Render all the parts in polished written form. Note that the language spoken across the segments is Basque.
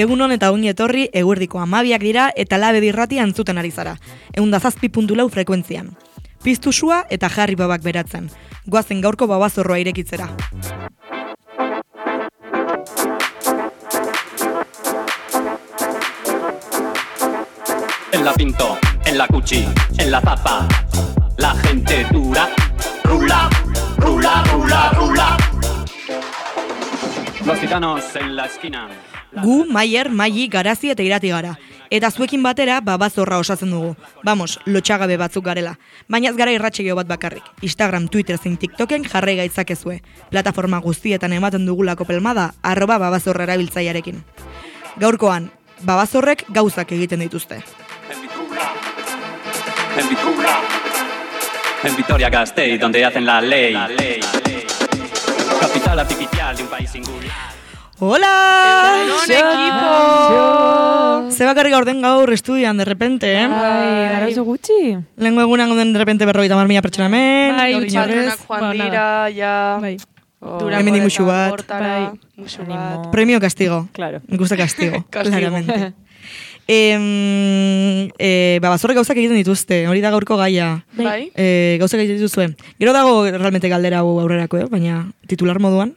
Egunon eta ongi etorri eguerdiko 12 dira eta Labedi irratia entzuten ari zara. 107.4 frekuentzian. Piztu sua eta jarri babak beratzen. Goazen gaurko babazorroa irekitzera. En la Pinto, en la Cuchi, en la Zapa, la gente dura, rula, rula, rula, rula. Los gitanos en la esquina. Gu, Maier, Maili, Garazi eta Irati gara. Eta zuekin batera babazorra osatzen dugu. Vamos, lotxagabe batzuk garela. Baina ez gara irratxegio bat bakarrik. Instagram, Twitter zein TikToken jarrai gaitzakezue. Plataforma guztietan ematen dugulako pelmada @babazorra erabiltzailearekin. Gaurkoan, babazorrek gauzak egiten dituzte. En Vitoria-Gasteiz, donde hacen la ley. Capital artificial de un país singular. Hola! ¡Egunon, equipo! Ze bakarrik gaurden gaur estudian, de repente, eh? Gara oso gutxi. Lehenko egunan gauden de repente 50.000 pertsona hemen. Bai, gaur utxatronak inorrez. joan dira, ja. Bai. Hemendik musu bat. Hortara, musu bat. Premio castigo. Claro. Me gusta castigo, Castigo. claramente. Babazorrek gauzak egiten dituzte, hori da gaurko gaia. Bai. Gauzak egiten dituzue. Gero dago realmente galdera hau aurrerako, baina titular moduan,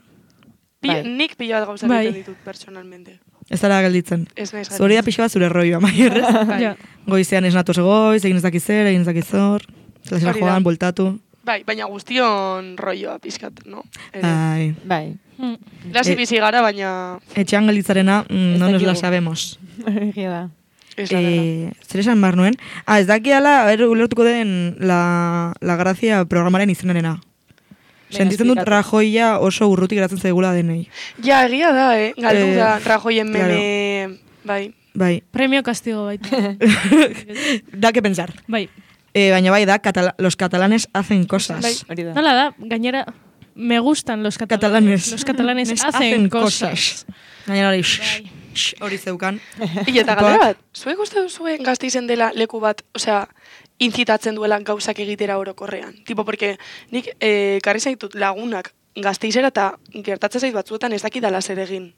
Nik pila bat gauzak Bai. egiten ditut, personalmente. ez dara gelditzen. Ez naiz Zuri da pixka bat zure rolloa, Maierrez. Bai. Goizean ez natoz goiz, egin ez dakizer, egin ez dakizor, zelazera Hori da. joan, bueltatu. Bai, baina guztion rolloa pizkat, no? Ai. Bai. Lasi bizi gara, baina Etxean gelditzarena, no nos la dakigu. sabemos. Egia da. ez da dela. Zer esan bar nuen? Ez dakiala, ulertuko den la Grazia programaren izenarena. Sentitzen dut esplikatu. Rajoia oso urrutik geratzen zaigula denei. Ja, egia da, galdu da, Rajoyen claro. meme, bai. Bai, Premio castigo baita. da que pensar. Bai. Baina bai da, los catalanes hacen cosas. Bai. Hori da. Nola da, gainera, me gustan los catalanes. Catalanes. Los catalanes hacen cosas. Gainera hori, Bai. hori zeukan. Eta galdera bat, zuek uste duzue Gasteizen dela leku bat, osea, incitatzen duela gauzak egitera orokorrean. Tipo, porque nik karri zaitut lagunak Gasteizera eta gertatzen zait batzuetan ez dakidala zer egin.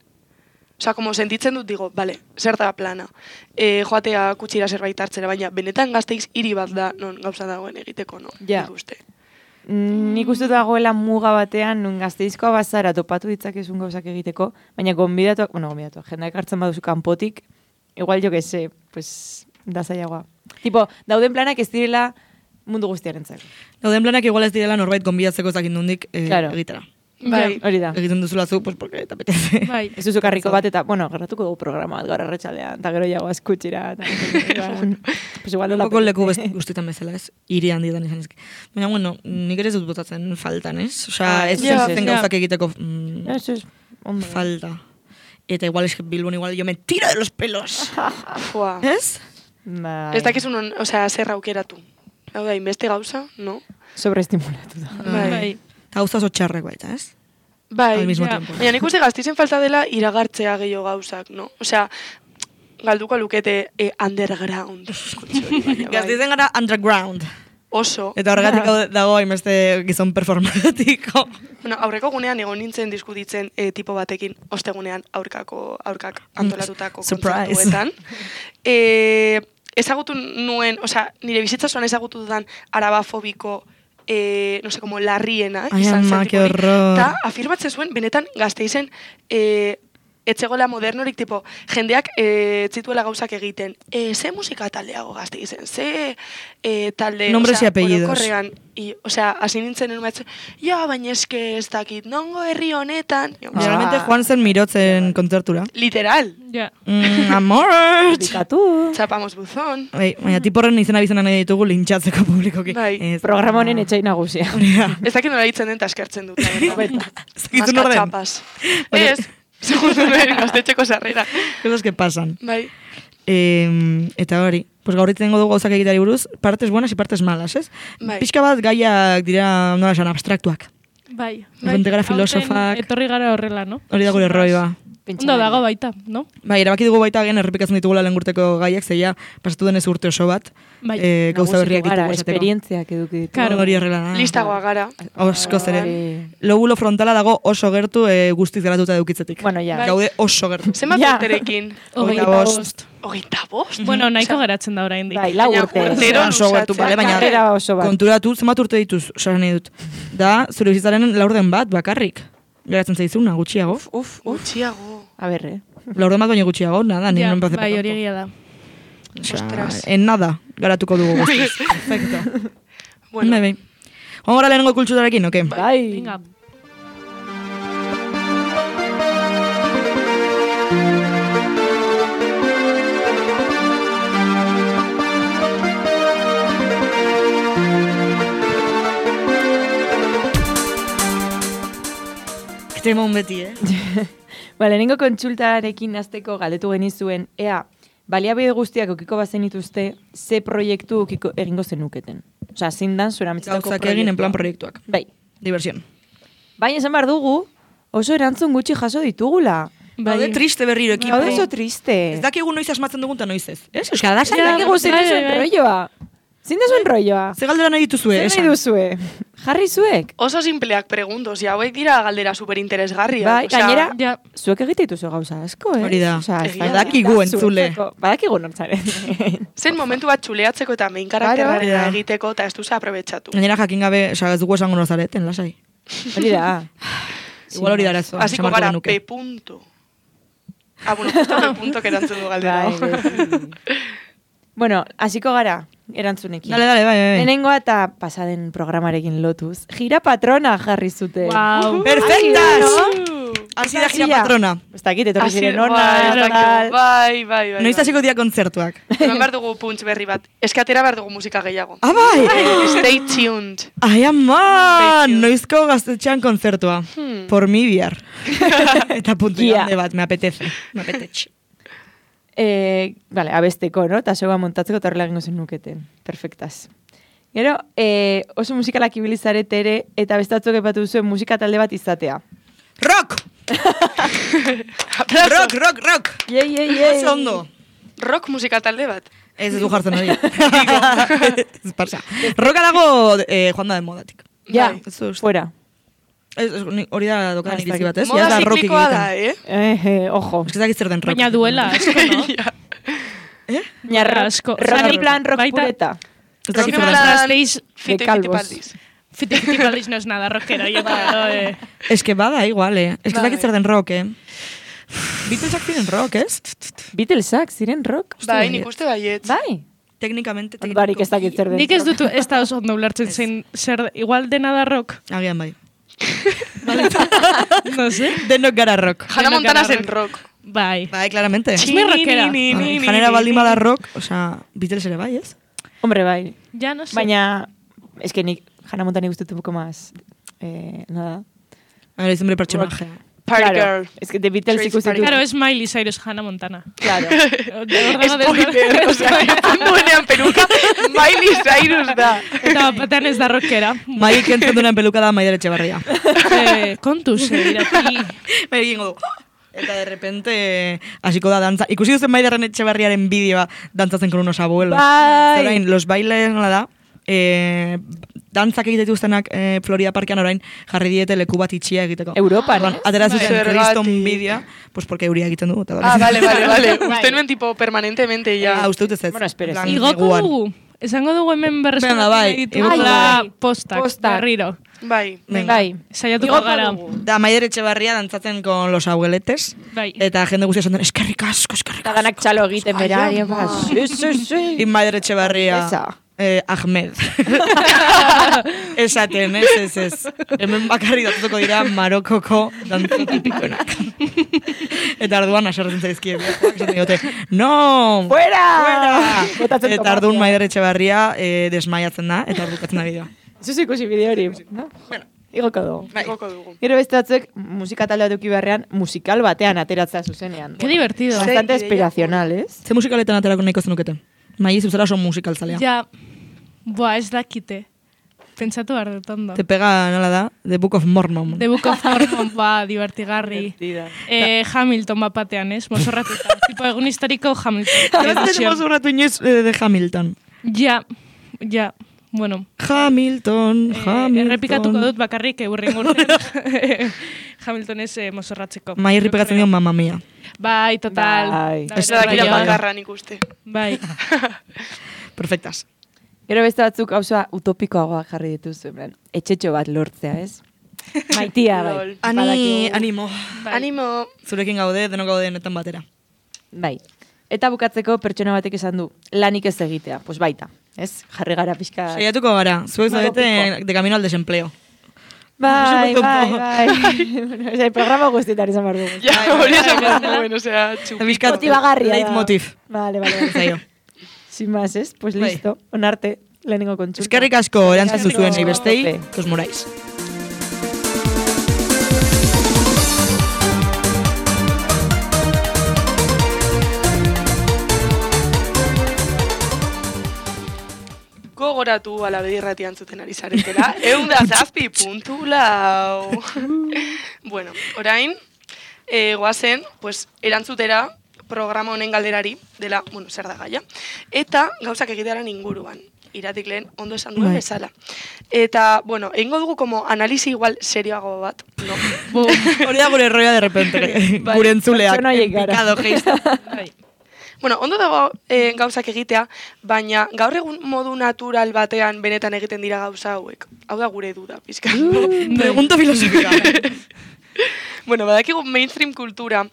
Osea, como sentitzen dut, digo, vale, zer da plana. Joatea kutsira zerbait hartzera, baina benetan Gasteiz hiri bat da, non gauza dagoen egiteko, no? Ja. Nik uste. Nik uste dagoela muga batean, nun Gasteizkoa bazara topatu ditzakezun gauzak egiteko, baina gonbidatuak, jendeak hartzen baduzu kanpotik, igual jo que se, pues, da zailagoa. Tipo, dauden planak ez direla mundu guztiarentzako. Gauden planak igual ez direla norbait gonbidatzeko ezakin nondik Claro. egitera. Bai. Hori da. Egiten duzula zu, pues porque te apetece. Bai. Ez duzu karriko bat eta, gerratuko dugu programa bat gaur arratsaldean, eta gero jago askutxira. Pues igual Un nola poco leku guztietan bezala, ez? Hiri handidan izan ezke. Baina, bueno, nik ere ez dut botatzen faltan, ez? Osea, ez ja, zen ja. gauzak egiteko Ez, ondo. falta. Eta igual es que Bilbon igual yo me tiro de los pelos. Fua. Ez? Bai. Ez dakizun, osea, zer aukeratu. Hau da, inbeste gauza, no? Sobreestimulatu da. Bai. Eta gauza oso txarrek baita, ez? Bai, Al mismo ja. tiempo. baina nik uste Gasteizen falta dela iragartzea gehiago gauzak, no? Osea, galduko lukete underground. Baina, bai. Gazteizen gara underground. Oso. Eta horregatik dago hainbeste gizon performatiko. Bueno, aurreko gunean egon nintzen diskutitzen tipo batekin, ostegunean aurkak antolatutako Surprise. kontzertuetan. Ezagutu nuen, osea, nire bizitza zoan ezagutu dudan arabafobiko, no sé, como larriena, Ai, izan ama, zen qué tipo hori. horror. Ta, afirmatzen zuen, benetan Gasteizen, etxegola modernorik, tipo, jendeak zituela gauzak egiten. Ze musika taldeago Gasteizen, ze talde, Nombres y apellidos. orokorrean, osea, hasi nintzen enumatzen, ja, baina eske ez dakit, nongo herri honetan. Generalmente joan zen mirotzen kontzertura. Literal, Ja. Amor! Dikatu. txapamos buzón. Baina tiporren izena bizena nahi ditugu lintxatzeko publikoki. Bai. Ez. Programa honen etxai nagusia. Ez dakit nola hitzen den, ta eskertzen dut. Ez dakit nor den. Maskatxapas. Ez, segundo nuen gaztetxeko sarrera. Cosas que pasan. Bai. Eta hori, pues gaur tengo dugu gauzak egitari buruz, partes buenas y partes malas, ez? Bai. Pixka bat gaiak dira, nola esan, abstraktuak. Bai. Gente gara Aurten filosofak. Etorri gara horrela, no? Hori da gure roiba. Ondo dago baita, no? Bai, erabaki dugu baita gen errepikatzen ditugula lehengurteko gaiak, zeia pasatu denez urte oso bat, Bai. gauza berriak ditugu esateko. Esperientziak eduki ditugu. Claro. Hori horrela da. Listagoa gara. Osko zeren. Bai. Lobulo frontala dago oso gertu guztiz garatuta edukitzetik. Bueno, ja. Bai. Gaude oso gertu. Zenbat Ja. urterekin? 25. 25? Bueno, nahiko geratzen da oraindik. Bai, 4 Baina urte. urtero Oso gertu, luzatzea. bale, baina Karrera oso bat. konturatu zenbat urte dituz, osasen nahi dut. Da, zure bizitzaren laurden bat, bakarrik. Geratzen zaizuna, gutxiago. Uf. Gutxiago. A ber, Laurden bat baino gutxiago, nada, ni Ja, non empecé. bai, hori egia da. Ostras. En nada, garatuko dugu guztiz. Perfecto. Bueno, Bai. Joan gara lehenengo kulturarekin, oke? Bai. Venga. Temon beti, Ba, lehenengo kontsultarekin hasteko galdetu genizuen, ea, baliabide guztiak ukiko bazen dituzte, ze proiektu ukiko egingo zenuketen. Osea, zein dan zuen ametzetako Gauzak egin en plan proiektuak. Bai. Diversión. Baina esan behar dugu, oso erantzun gutxi jaso ditugula. Gaude triste berriro ekipo. Gaude oso triste. Ez dakigu noiz asmatzen dugun eta noiz ez. Ez, Euskal da, Ja, dakigu zein bai, duzuen bai. rolloa. Zein duzuen rolloa. Ze galdera nahi dituzue, Zer esan. nahi duzue? Jarri zuek. oso simpleak preguntos, ja, hauek dira galdera superinteresgarriak. Bai, osea, gainera, Ja, zuek egite dituzu gauza asko, eh? Hori da. Osea, ez Egia da. Badakigu entzule. Badakigu nortzaren. zen momentu bat txuleatzeko eta main karakterraren Claro. egiteko eta ez duzu aprobetxatu. Gainera jakin gabe, oza, ez dugu esango nozareten, lasai. Hori da. Igual hori da arazoa. Hasiko esan beharko gara, genuke. P punto. Bueno, justo P punto erantzun du galdera. Bai, bai. Bueno, hasiko gara, erantzunekin. Dale, bai. Lehenengoa eta pasaden programarekin lotuz. Gira patrona jarri zuten. wow. Perfectas! Hasi da gira patrona. Ez dakit, etorri Hasi- ziren bai, ona, tal. bai. Noiz hasiko dira kontzertuak. Eman behar dugu punts berri bat. Eske atera behar dugu musika gehiago. Ah, bai! Stay tuned. Ai, ama! Stay tuned. Noizko gaztetxean kontzertua. Por mi bihar. Eta puntu Gia. grande bat, me apetece. Me apetece. Vale, abesteko, no? Eta zegoa montatzeko eta horrela egingo zen nuketen. Perfectaz. Gero, oso musikalak ibilizarete ere, eta bestatzuk epatu zuen musika talde bat izatea. Rock! Rock! Oso ondo. Rock musika talde bat. Ez du jartzen hori. Ez pasa. Roka dago joan da de modatik. Ja, Ez du uste. fuera. Hori da dokan Ez iritzi dakit. bat, ez? Moda Ja, da rock ziklikoa da, egiten. Ojo. Ez que dakit zer den rock. Baina duela, asko, no? Baina asko. rock Zanik en plan rock baita- pureta. Ez dakit zer Rock den. en plan- Gasteiz, Fite calvos. Fitipaldis. Fitipaldis no es nada rockero, yo creo. Ez que bada, igual, Ez que ez Bai. dakit zer den rock, Beatlesak ziren rock, ez? Beatlesak, ziren rock? Bai, nik uste baiet. Bai. Teknikamente. Barik ez dakit zer den. Nik ez dut ez da oso ondo ulertzen zein zer, igual dena da rock. Agian bai. No sé. Denok gara rock. Hannah Denok Montana gara zen rock. Bai. Bai, claramente. Es muy rockera. Janera baldin bada rock, osea, Beatles ere bai, ez? Hombre, bai. Ya no sé. Baina, es que nik, Hannah Montana gustet un poco más, nada. Ahora es hombre personaje. Party Claro, Girl. es que The Beatles Trace ikusten Party dut. Claro, es Miley Cyrus, Hannah Montana. Claro. Spoiler, osea, duenean peruka, Miley Cyrus da. Eta batean ez da rockera. Mai kentzen duenan peluka da Maider Etxebarria. Kontuz, irati. Bai, egingo du. Eta de repente hasiko da dantza. Ikusi duzen Maiderren Etxebarriaren bideoa dantzatzen con unos abuelos. Bai. Orain, los bailes, nola da, dantzak egite dituztenak Florida Parkean orain jarri diete leku bat itxia egiteko. Europan, Orduan, ez? atera zuten Zergatik. kriston bideoa, pues porque euria egiten du. Eta Ah, vale. Uste nuen tipo permanentemente ya. Ah, uste dut ez ez. Bueno, espera, En plan, Igoko neguan. dugu. Esango dugu hemen Venga, berreskuratu bai, nahi igoko ditugula dugu. postak, Postak. berriro. Bai. Venga. Bai. Saiatuko Igoko gara. dugu. Da Maider Etxebarria dantzatzen con los abueletes. Bai. Eta jende guztia esan duen, eskerrik asko. Eta danak txalo egiten bera. Ai, ama. Sí. Y Maider Etxebarria, Esa. Ahmed. Esaten, ez. Hemen bakarri datutuko dira Marokoko dantza tipikoenak. Eta arduan aserretzen zaizkie. Esaten diote, no! Fuera! Botatzen Eta tomatea. arduan Maider Etxebarria desmaiatzen da, eta ardukatzen da bideoa. Zuzu ikusi bideo hori. No? Bueno. Igoko dugu. Bai. Igoko dugu. Gero beste batzuek musika talde duki beharrean musikal batean ateratzea zuzenean. Qué divertido. Bastante Ze ideia. inspiracional, ez? Ze musikaletan aterako nahiko zenukete? Mai, zuzera oso musikaltzalea. Ja, boa, ez dakite. Pentsatu behar dut ondo. Te pega, nola da? The Book of Mormon. The Book of Mormon, divertigarri. Hamilton bapatean, ez? Mozorratuta. Tipo, egun historiko Hamilton. Ez mozorratu inoiz de Hamilton. Ja, bueno. Hamilton. Errepikatuko dut bakarrik eurren urtean. Hamilton ez mozorratzeko. Mai errepikatzen dio Mamma Mia. Bai, total. Ez da dakila bakarra nik uste. Bai. Perfectas. Gero beste batzuk gauza utopikoagoa jarri dituzu, etxetxo bat lortzea, ez? Maitia, bai. Animo. Animo. Zurekin gaude, denok gaude honetan batera. Bai. Eta bukatzeko pertsona batek esan du, lanik ez egitea, pues baita, ez? Jarri gara pixka... Saiatuko gara, zuek zaudete de camino al desempleo. Bai. Bueno, programa guztietan izan behar dugu. Ja, hori esan behar duen, osea, txupiko. Motivagarria da. Leitmotiv. Vale. Zaio. Sin más, ez? Pues listo. Onarte, lehenengo kontsulta. Eskerrik asko erantzun zuen nahi bestei, os morais. Gogoratu ala bedirratian zuten ari zaretela. 107.4. Bueno, orain, goazen, pues, erantzutera programa honen galderari, dela, bueno, zer da gaia. Eta gauzak egitearen inguruan. Iratik lehen, ondo esan duen bezala. Eta, bueno, egingo dugu como analizi igual serioago bat, no? Hori da gure erroia de repente, gure entzuleak. Picado, geist. Bueno, ondo dago gauzak egitea, baina gaur egun modu natural batean benetan egiten dira gauza hauek. Hau da gure duda, pizka. Pregunta filosofika. Bueno, badakigu mainstream kultura,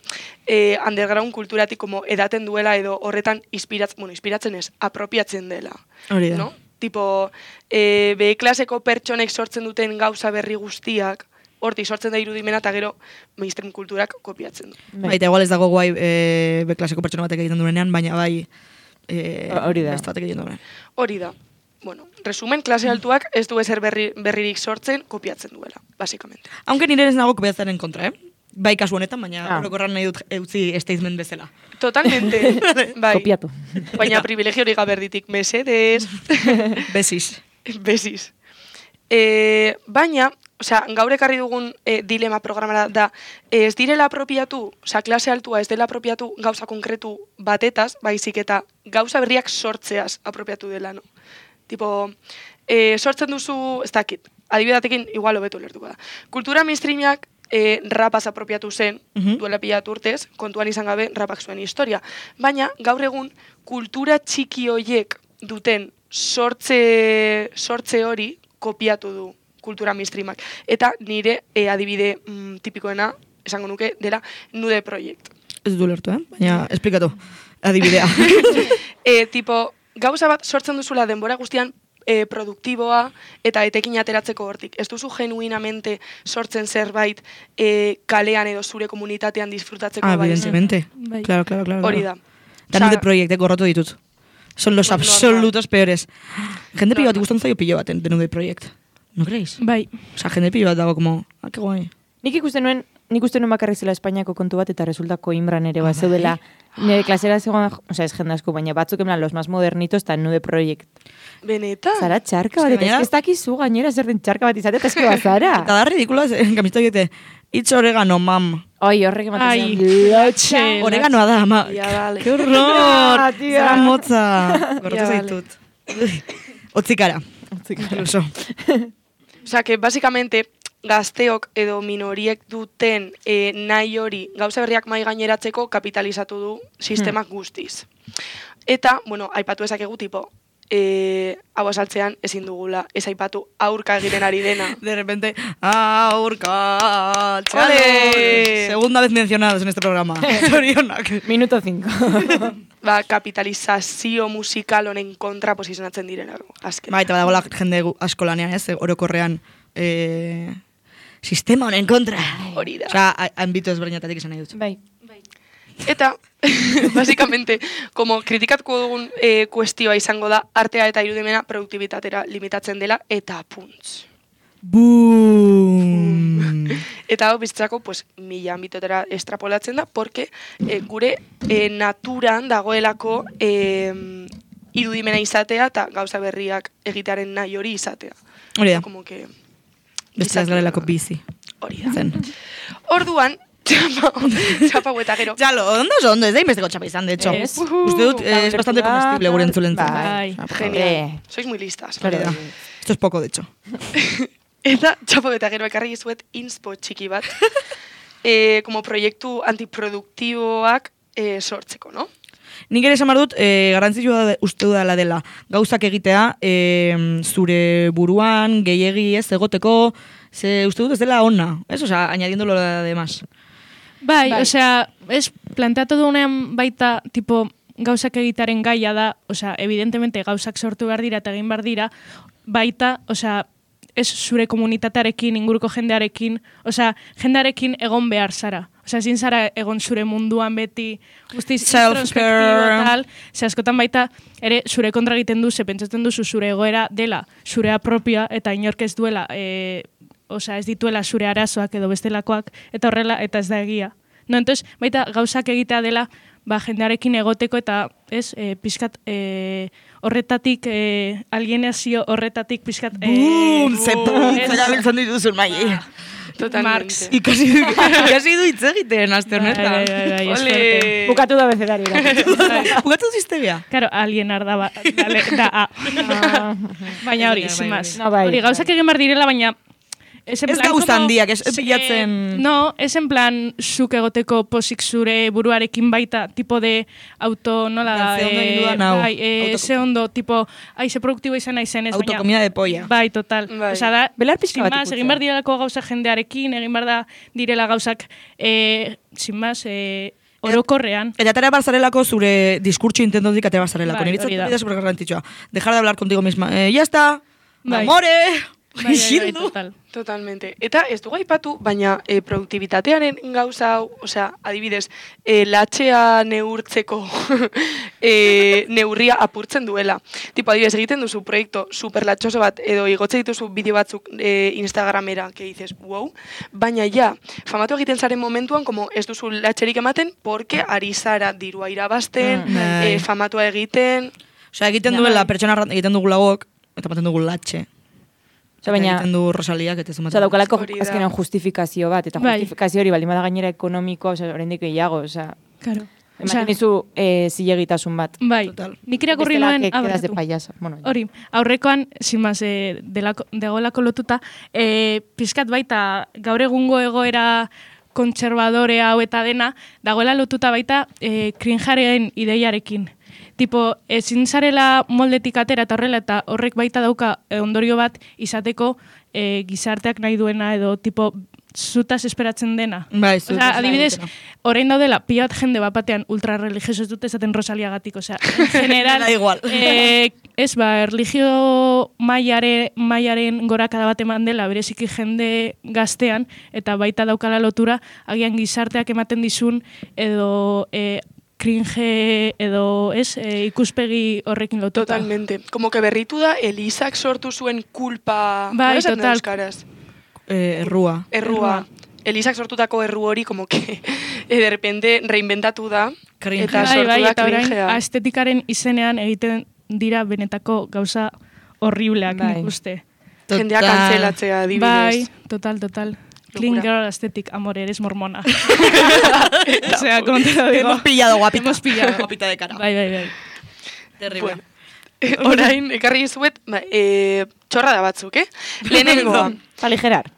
underground kulturatik como edaten duela edo horretan inspiratzen ez, apropiatzen dela. Hori da. No? Tipo, B-klaseko pertsonek sortzen duten gauza berri guztiak, hortik sortzen da irudimena eta gero mainstream kulturak kopiatzen du. Baita, igual ez dago guai B-klaseko pertsona batek egiten duenean, baina bai hori da. beste batek egiten duenean. Hori da. Bueno, resumen, klase altuak ez du ezer berririk sortzen, kopiatzen duela, basikamente. Aunque nire ez nago kopiatzaren kontra, Bai kasu honetan, baina orokorran nahi dut eutzi statement bezala. Totalmente. Bai. Kopiatu. Baina privilegio hori gaberditik, mesedez. Besis. Baina, osea, gaur ekarri dugun dilema programara da, ez direla apropiatu, osea, klase altua ez dela apropiatu gauza konkretu batetaz, baizik eta gauza berriak sortzeaz apropiatu dela, no? Tipo, sortzen duzu, ez dakit, adibidatekin igual hobeto lertuko da. Kultura mainstreamiak rapaz apropiatu zen, duela pila urtez, kontuan izan gabe rapak zuen historia. Baina, gaur egun, kultura txiki hoiek duten sortze hori kopiatu du kultura mainstreamak. Eta nire adibide tipikoena, esango nuke, dela Nude Project. Ez du lertu, baina esplikatu adibidea. Tipo, gauza bat sortzen duzula denbora guztian produktiboa eta etekin ateratzeko hortik. Ez duzu genuinamente sortzen zerbait kalean edo zure komunitatean disfrutatzeko bai. Evidentemente. Claro. Hori da. Eta Nude Project, gorrotu ditut. Son los absolutos peores. Jende pilo bat gustan zaio pilo bat de Nude Project. ¿No creéis? Bai. Osa, jende pilo bat dago como, que guai. Nik uste nuen bakarrik zela Espainiako kontu bat eta resulta Coimbran ere bat zeudela. Nire klasera zegoen, oza, ez jende asko, baina batzuk emlan los más modernitos eta Nude Project. Benetan? Zara txarka bat, eta ez dakizu gainera zer den txarka bat izate, eta eske bazara. Eta da ridikuloa, kamista egite, itz oregano, mam. Oi, horrek ematen zen. Oreganoa da, ama. Que horror! Zara motza. Gorrotu zaitut. Otzikara. Incluso. Osa, que básicamente gazteok edo minoriek duten nahi hori gauza berriak mai gaineratzeko kapitalizatu du sistemak guztiz. Eta, bueno, aipatu ezakegu tipo, hau asaltzean ezin dugula, ez aipatu aurka egiten ari dena. De repente, aurka, txalo. Segunda vez mencionados en este programa. Zorionak. Minuto 5. Kapitalizazio musikal honen kontra posizionatzen direna. Eta badagoela jende asko lanean, ez? Orokorrean sistema honen kontra. Hori da. Osa, ambito ezberdinetatik esan nahi dut. Bai. Eta, básicamente, como kritikatuko dugun kuestioa izango da, artea eta irudimena produktibitatera limitatzen dela, eta puntz. Boom! Eta hau bizitzako, pues, mila ambitotera estrapolatzen da, porque gure naturan dagoelako irudimena izatea eta gauza berriak egitearen nahi hori izatea. Hori da, Como que beste ez garelako bizi. hori da. Zen. Orduan, txapa eta gero. Jalo, ondo, ez da inbesteko txapa izan, de hecho. Ez. Uste dut, es bastante comestible gure entzulentzat. Bai. Genial. Sois muy listas. Hori da. Esto es poco, de hecho. Eta txapa eta gero ekarri zuet inspo txiki bat. Como proiektu antiproduktiboak sortzeko, no? Nik ere esan behar dut, garrantzitsua uste dudala dela. Gauzak egitea, zure buruan, gehiegi ez, egoteko, ze uste dut ez dela ona, ez? Osea, añadiendo lo de más. Bai, osea, ez planteatu duenean baita, tipo, gauzak egitaren gaia da, osea, evidentemente gauzak sortu behar dira eta egin behar dira, baita, osea, ez zure komunitatearekin, inguruko jendearekin, osea, jendearekin egon behar zara. Osea, ezin zara egon zure munduan beti, guztiz introspektibo tal, ze askotan baita, ere zure kontra egiten du, ze pentsatzen duzu zure egoera dela, zurea propioa, eta inork ez duela, osea, ez dituela zure arazoak edo bestelakoak, eta horrela, eta ez da egia. No, entonces, baita gauzak egitea dela, ba, jendearekin egoteko eta, ez, pixkat, horretatik, alienazio horretatik pixkat... Boom! Zera biltzen dituzun, mai. Totalmente. Ikasi du hitz egiten, aste honetan. Ole! Bukatu da bezerari. Bukatu ziztegia. Claro, alienar da A. Baina hori, sin más. bai. Hori, gauzak egin behar direla, baina... Ez gauza handiak, ez pilatzen... No, ez en plan, zuk egoteko posik zure buruarekin baita, tipo de auto, nola da... Ze ondo egin dudan hau. Bai, ze ondo, tipo, ze produktibo izan naizen ez, baina... Autokomida de polla. Bai, total. Bai. Osa da, Belar pixka sin bat más, ikutzea. egin behar direlako gauza jendearekin, egin behar da direla gauzak, sin más, orokorrean. Eta atera barzarelako zure diskurtso intentotik atera barzarelako. Bai, Niretzat hori da. bidea super garrantzitsua. Dejar de hablar contigo misma. Ya está. Bai. Amore. Bai, Isildu. total. Totalmente. Eta ez dugu aipatu, baina produktibitatearen gauza hau, osea, adibidez, latxea neurtzeko neurria apurtzen duela. Tipo, adibidez, egiten duzu proiektu superlatxoso bat, edo igotze dituzu bideo batzuk Instagramera, que dices, wow, baina ja, famatu egiten zaren momentuan, como ez duzu latxerik ematen, porque ari zara dirua irabazten, Bai. famatua egiten... Osea, egiten duela pertsona egiten dugu lagok, eta ematen dugu latxe. Baina, Egiten du Rosaliak, eta Osa, daukalako Hori da. azkenean justifikazio bat, eta Bai. justifikazio hori baldin bada gainera ekonomikoa, osa, oraindik gehiago, osa, Claro. ematen dizu zilegitasun bat. Bai, Total. nik irakurri Bestela, nuen... que quedas de barkatu. payasa. Bueno, Hori, aurrekoan, sin más, dagoelako lotuta, pizkat baita gaur egungo egoera kontserbadore hau eta dena, dagoela lotuta baita cringearen ideiarekin. Tipo, ezin zarela moldetik atera eta horrela, eta horrek baita dauka ondorio bat izateko gizarteak nahi duena edo tipo zutaz esperatzen dena. Bai, Osea, adibidez, orain daudela pila bat jende bat batean ultrarreligioso ez dute esaten Rosaliagatik, osea, en general, Da igual. ez ba, erlijio mailaren gorakada bat eman dela, bereziki jende gaztean, eta baita daukala lotura, agian gizarteak ematen dizun, edo cringe edo ikuspegi horrekin lotuta. Totalmente. Como que berritu da, Elisak sortu zuen kulpa... Bai, nola esaten da total. euskaraz? Errua. Errua. Elisak sortutako erru hori, como que de repente reinventatu da. Cringe. Eta Bai, sortu bai, da eta orain cringea. estetikaren izenean egiten dira benetako gauza horribleak, Bai. nik uste. Jendea Total. kantzelatzea, adibidez. Bai, total. Clean Locura. girl aesthetic, amor, eres mormona. O sea, como te lo digo. Hemos pillado guapita. Hemos pillado. Guapita de cara. Bai. Terrible. Bueno, orain, ekarri zuet, txorra da batzuk, Lehenengoa, aligerar.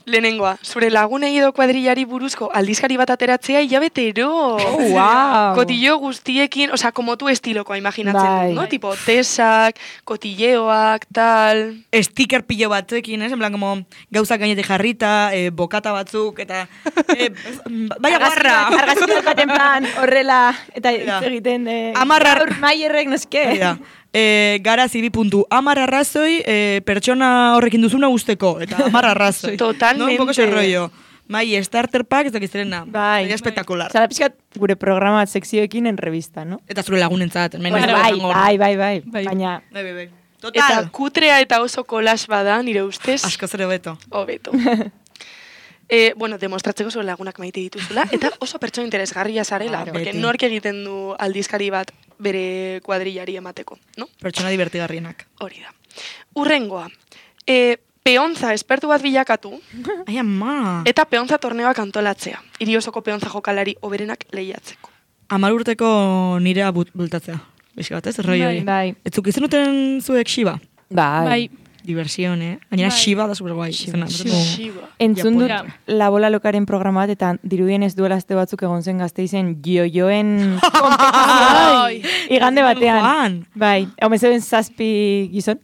lehenengoa, zure lagunei edo kuadrillari buruzko aldizkari bat ateratzea hilabetero. Wow. Kotillo guztiekin, osea, como tu estilokoa imaginatzen Bai. dut, no? Tipo, tesak, kotilleoak, tal... Sticker pillo batzuekin, en plan, como gauzak gainetik jarrita, bokata batzuk, eta... Baina guarra! Argazki bat baten plan, horrela, eta Ja. hitz egiten, Amarra- gaur Maierrek noske. Ja. Garazi 2.10 arrazoi pertsona horrekin duzuna usteko, eta 10 arrazoi. Totalmente. No, un poco ese rollo. Mai, starter pack, ez dakizterena. Bai. Sería espectacular. Zara pixkat gure programa sekzioekin en revista, no? Eta zure lagunentzat. hemen Bueno, ez bai, dago. bai. Bai. Baina, Bai. Eta Total. kutrea eta oso kolas bada, nire ustez, Asko zere beto. hobeto. Bueno, demostratzeko zure lagunak maite dituzula, eta oso pertsona interesgarria zarela, Claro. porque Beti. nork egiten du aldizkari bat bere kuadrillari emateko, no? Pertsona divertigarrienak. Hori da. Urrengoa. Peontza espertu bat bilakatu, Ai, ama. eta peontza torneoak antolatzea. Hiri osoko peontza jokalari oberenak lehiatzeko. 10 urteko nirea bultatzea. Bixi bat, ez? Roi hori. Bai. Etzuk izan duten zuek Shiba? Bai. Diversión, Gainera Bai. Shiba da super guai. Shiba. Entzun dut Ja. La Bola Lokaren programa bat, eta dirudien ez duela aste batzuk egon zen Gasteizen jojoen kompetizioa. Igande batean. Joan. Bai, hau zeuden 7 gizon,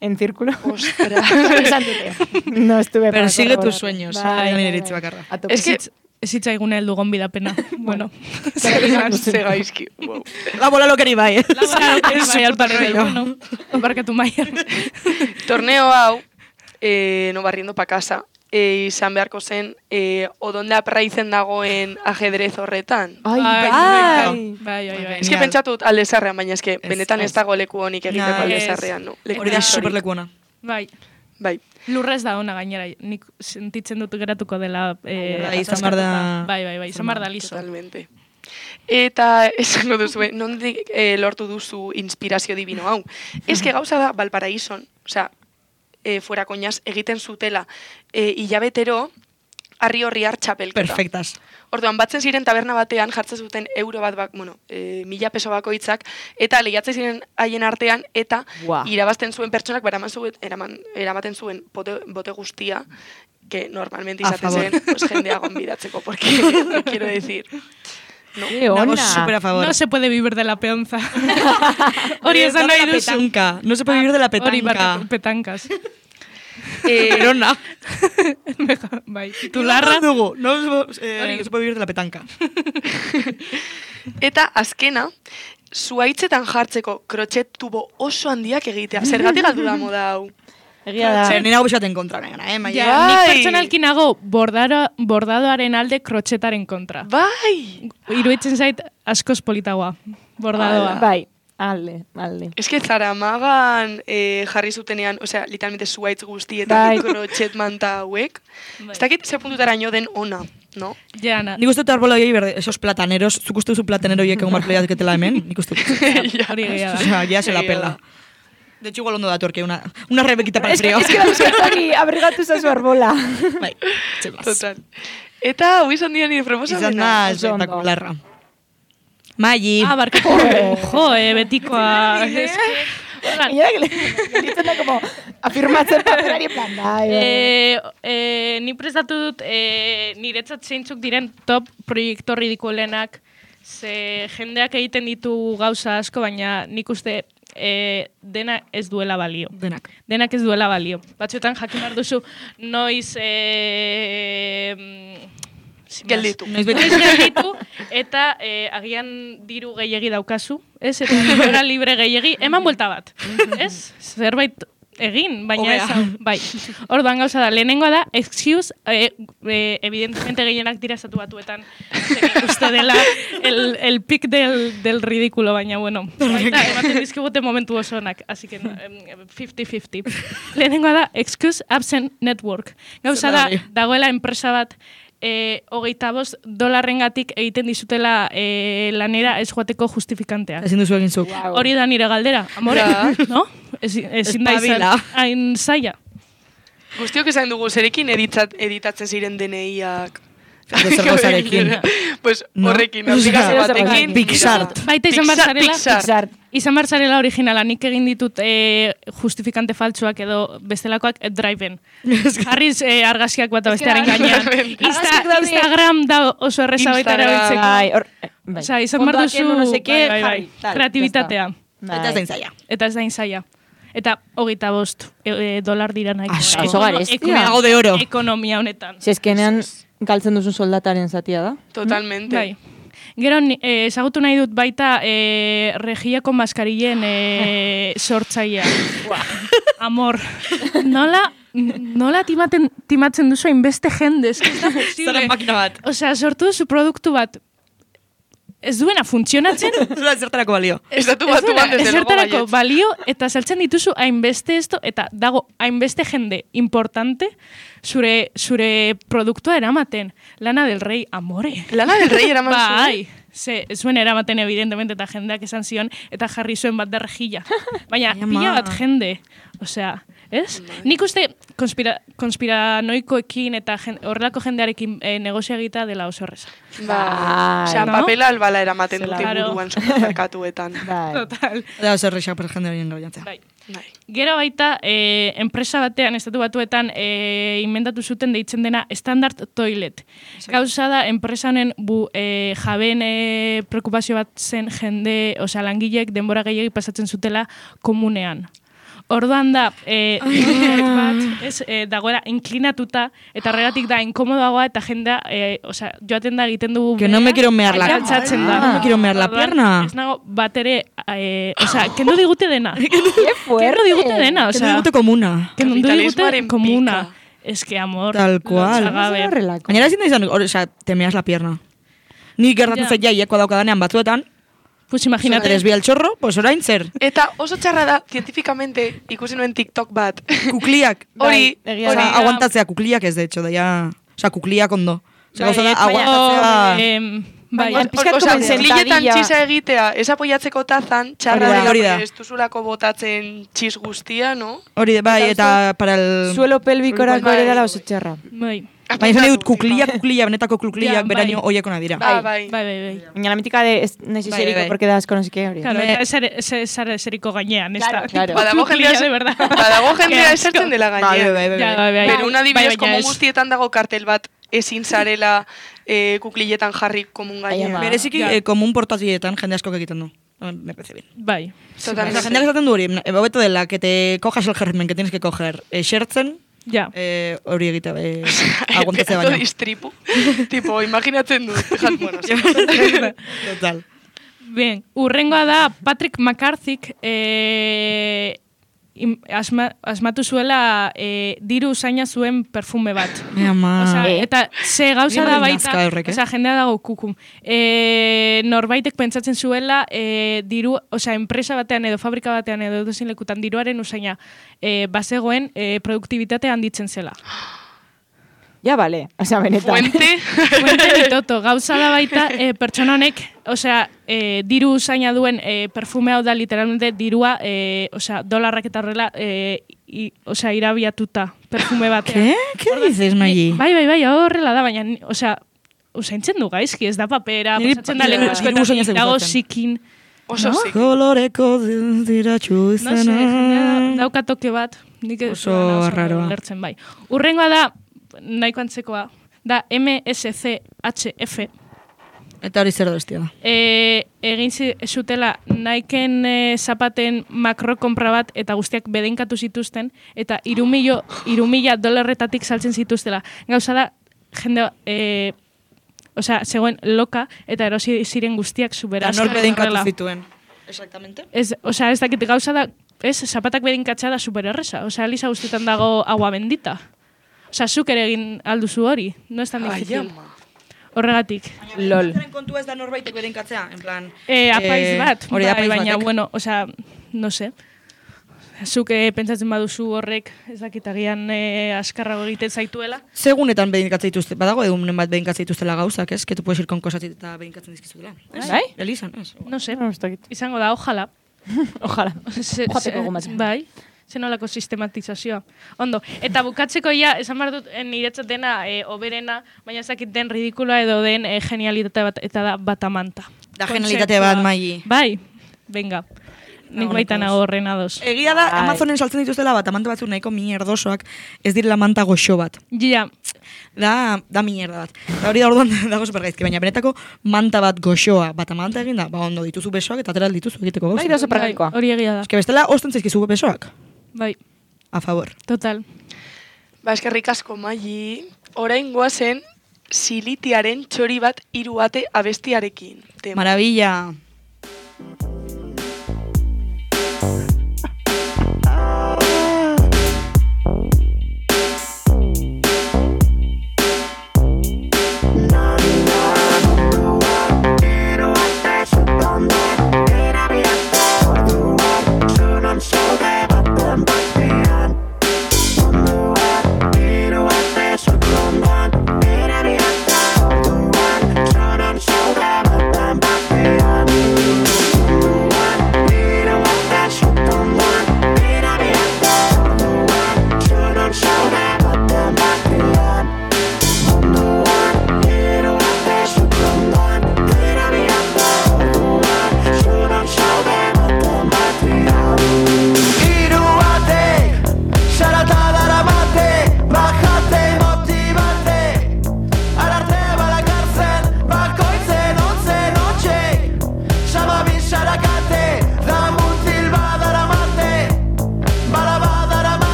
en círculo. Ostras. Esan dute. No estuve para Persigue corroborar. tus sueños. Bai, Nire bai, iritzi bai. bakarra. A tope. Es que Ez hitzaigune heldu gonbidapena. Bueno. ze gaizki. Wow. La bola lokeri bai. Bai, alparrero. Bueno, barkatu Maier. Torneo hau, no barriendo pa casa, izan beharko zen, odonde apraizen dagoen ajedrez horretan. Ai, Bai. bai. Ez que pentsatut aldezarrean, baina ez que benetan ez dago leku honik egiteko Nah, aldezarrean, no? Leku Hori da historiko. superlekuona. Bai. Bai. Lurrez da ona gainera, nik sentitzen dut geratuko dela... Bai, izan behar da- Bai, izan behar da liso. Totalmente. Eta esango duzue, nondik lortu duzu inspirazio divino hau. Ez que gauza da, Valparaíson, osea, fuera koñaz, egiten zutela hilabetero harri horri txapelketa. Perfectas. Orduan, batzen ziren taberna batean, jartzen zuten euro bat, 1000 peso bakoitzak, eta lehiatzen ziren haien artean, eta Buah. irabazten zuen pertsonak, eramaten zuen bote guztia, que normalmente A izaten favor. zen, pues, jendea gonbidatzeko, porque, quiero decir... Qué Nago ona. super a favor. No se puede vivir de la peonza. Hori esan nahi la duzu. petanca. No se puede vivir de la Hori, petanca. barkatu, petankas. Erona. Bai, titularra. Dugu. No se puede vivir de la petanca. Eta azkena, zuaitzetan jartzeko krotxet tubo oso handiak egitea. Zergatik galdu da moda hau. Egia da. Nire hau bisaten kontra, negana, Maia? Ja, nik Bai. pertsonalki nago bordadoaren alde krotxetaren kontra. Bai! Iruditzen zait askoz politagoa, bordadoa. Bai, alde. Ez que Zaramagan jarri zutenean, osea, literalmente zuaitz guztietan Bai. krotxet manta hauek. Bai. Ez dakit ze puntutaraino den ona, no? Ja, na, Nik uste dut arbola hori berde, esos plataneros, zuk uste duzu platanero horiek egon barko lehiatuketela hemen? Nik uste dut. hori gehiago da. Osea, ya se la Egia pela. da. De hecho, igual ondo datu orke, una rebequita para el frío. Es que dauzkataki abrigatu zazu arbola. Bai, txemas. Total. Eta, hau izan dira nire Izan da proposamena. Oso ondo. espectacularra. Maggi. Ah, barkatu. Jo, betikoa. Mira que gelitzen da como afirmatzen paperari en plan, bai. Ni prestatu dut niretzat zeintzuk diren top proiektu ridikulenak, ze jendeak egiten ditu gauza asko, baina nik uste dena ez duela balio. Denak. Denak ez duela balio. Batzuetan jakin behar duzu noiz Gelditu. Noiz beti. Noiz gelditu eta agian diru gehiegi daukazu, ez? Eta denbora libre gehiegi, eman buelta bat. Ez? Zerbait egin, baina Hobea. ez hau. Bai. Orduan gauza da, lehenengoa da, excuse, evidentemente gehienak dira estatu batuetan, uste dela el pic del ridículo, baina bueno, baita ematen dizkigute momentu oso onak, así que 50-50. Lehenengoa da, excuse absent network. Gauza da, dagoela enpresa bat, $25 egiten dizutela lanera ez joateko justifikantea. Ezin duzu egin zuk. Hori da nire galdera, amore, Ja. no? Ezin da izan Espabila. hain zaila. Guztiok esan dugu, zerekin editatzen ziren DNIak. Zer gauzarekin. Pues No? horrekin, Osea, aplikazio batekin. Pixart. Baita izan behar zarela, Pixar. izan behar zarela originala, nik egin ditut justifikante faltsuak edo bestelakoak driven. Jarriz argazkiak bata bestearen gainean. Argazkiak daude. Instagram da oso erreza baita Instagram. erabiltzeko. Bai, bai. Osea, izan behar Fondoak duzu kendu no sé qué, bai, jarri, tal, kreatibitatea. ya Eta ez da inzaia. Eta ez da inzaia. Eta $25 dira nahi. Asko. Oso garestia. Hago de oro. Ekonomia honetan. Zezkenean galtzen duzun soldataren zatia da. Totalmente. Bai. Gero, ezagutu nahi dut baita regiako maskarillen sortzailea. Amor. Nola timatzen duzu hainbeste jende, ez da posible. Zara makina bat. Osea, sortu duzu produktu bat ez duena funtzionatzen, Zura zertarako balio. Estatu batuan desde luego ezertarako baietz. balio eta saltzen dituzu hainbeste esto eta dago hainbeste jende importante zure produktua eramaten. Lana del Rey, amore. Lana del Rey eraman zuen. Bai, zuen eramaten evidentemente eta jendeak esan zion, eta jarri zuen bat derrejila. Baina, Ai, ama. pila bat jende, osea, ez? Nik uste konspiranoikoekin eta horrelako jendearekin negozia egita dela oso horreza. Osea, no? papela albala eramaten dute Claro. buruan supermerkatuetan. Bai. Total. Da, zer reixak per jende horien gaujantzea. Bai. Bai. Gero baita, enpresa batean, estatu batuetan, inventatu zuten deitzen dena Standard Toilet. Gauza da, enpresa honen jabeen preokupazio bat zen jende, osea, langileek denbora gehiagik pasatzen zutela komunean. Orduan da, bat, dagoela inklinatuta, eta horregatik da inkomodoagoa, eta jendea, osea, joaten da egiten dugu... Que no me quiero mear la altxatzen da. No me quiero mear la Orduan, pierna. Ez nago bat ere, osea, kendu digute dena. Qué fuerte. Kendu digute dena, Que no osea... digute komuna. Kendu digute Kapitalismoaren komuna. pika. Es que amor. Tal cual. Lotxagabe. Horrelako. Gainera ezin da izan, osea, te meas la pierna. Ni gertatzen Ja. zait jaieko daukadanean batzuetan, Pues imagínate. desbia el chorro, pues orain zer. Eta oso txarra da, zientifikamente, ikusi nuen TikTok bat. Kukliak. Hori, egia hori, Osea, aguantatzea, kukliak ez, de hecho, da ya... Osea, kukliak ondo. Osea, gauza da, Baina, aguantatzea... Bai, Baina, pixkat osea, como kukliletan sentadilla. txisa egitea, ez apoiatzeko tazan, txarra Hori da, dela, hori da. porque ez duzulako botatzen txis guztia, no? Hori de, bai, eta para el... Suelo pelvikorako Bai. ere dela oso txarra. bai. Baina esan dut, kuklia, benetako Ja, kukliak, bai. beraino oiekona dira. Bai, bai. Bai. Baina la mítica de nahi Bai, zeriko, bai. porque da asko no sé qué hori. Claro, eta ez eseriko gainean, ez da. Claro. Badago Kuklia, jendea, de verdad. badago jendea Qué esertzen asco. dela Bai, gainean. bai, bai, Ja, bai. bai. Pero una adibidez, Bai, baina como ez. guztietan dago kartel bat, ezin zarela kukliletan jarri komun gainean. ama. Bereziki, Ja. komun portazietan jende askok egiten du. Me parece bien. Bai. Totalmente. Osea, jendeak esaten du hori, hobeto dela, que te cojas el germen que tienes que coger. Esertzen, Ja. hori egite, aguantatzea Pedazo baino. distripu. Tipo, imaginatzen du. Bueno, sí. Total. Bien, urrengoa da Patrick McCarthyk asmatu zuela diru usaina zuen perfume bat. Mi ama. Osea, eta ze gauza Bien da nazka baita, horrek, osea, jendea dago kukum. Norbaitek pentsatzen zuela diru, osea, enpresa batean edo fabrika batean edo edozein lekutan diruaren usaina bazegoen produktibitatea handitzen zela. Ja, vale. Osea, benetan. Fuente. Fuente ditoto, gauza da baita pertsona honek, osea, diru usaina duen perfume hau da literalmente dirua, osea, dolarrak eta horrela, osea, irabiatuta perfume batean. ¿Qué dices, Maggi? Bai, horrela da, baina, osea, usaintzen du gaizki, ez da papera, Niri pasatzen da diru leku usaina askotan, dago gustatzen. zikin, Oso zik. Koloreko diratxu no se, jendea izena. daukatoke bat, nik ez Oso dudana arraroa. ulertzen bai. Urrengoa da, nahiko antzekoa, da MSCHF, Eta hori zer bestia da. egin zutela Niken zapaten makrokompra bat eta guztiak bedeinkatu zituzten eta 3.000 dolarretatik saltzen zituztela. Gauza da, jende, osea, zegoen loka eta erosi ziren guztiak supera. Eta nor bedeinkatu zituen. Exactamente. Osea, ez dakit gauza da, zapatak bedeinkatza da supererresa. Osea, Elisa guztietan dago agua bendita. Osea, zuk ere egin alduzu hori. No es tan Ai, difícil. ama. Horregatik. Lol. Kontua ez da norbaitek bedeinkatzea, en plan... Apaiz bat, hori da, bai, apaiz baina, batek. bueno, osea, no sé. Zuk pentsatzen baduzu horrek, ez dakitagian askarrago egiten zaituela. Segunetan bedinkatzen dituzte, badago egunen bat bedinkatzen dituztela gauzak, ez? Que tu puedes ir con cosas eta bedinkatzen dizkizutela. Bai? Elizan, ez? No sé, No, ez dakit. izango da, ojalá. Ojalá. Joateko gomatzen. Bai, zenolako sistematizazioa. Ondo, eta bukatzeko ja, esan behar dut, niretzat dena oberena, baina ez dakit den ridikuloa edo den genialitate bat, eta da batamanta. Da genialitate bat, Maggi. Bai, venga. Nik baita nago horren ados. Egia da, Bai. Amazonen saltzen dituztela bat, amante batzuk nahiko mierdosoak, ez direla manta goxo bat. Ja, Da mierda bat. Da hori da orduan dago supergaizki, baina benetako manta bat goxoa, bat amanta egin da, ba ondo dituzu besoak eta atera dituzu egiteko Bai, gauza. da oso praktikoa. hori egia da. Eske bestela, osten zaizkizu besoak. Bai, A favor. total. Ba, eskerrik asko, Maggi. Orain goazen, silitiaren txori bat 3 ate abestiarekin. Tema. Maravilla. Bam, bam.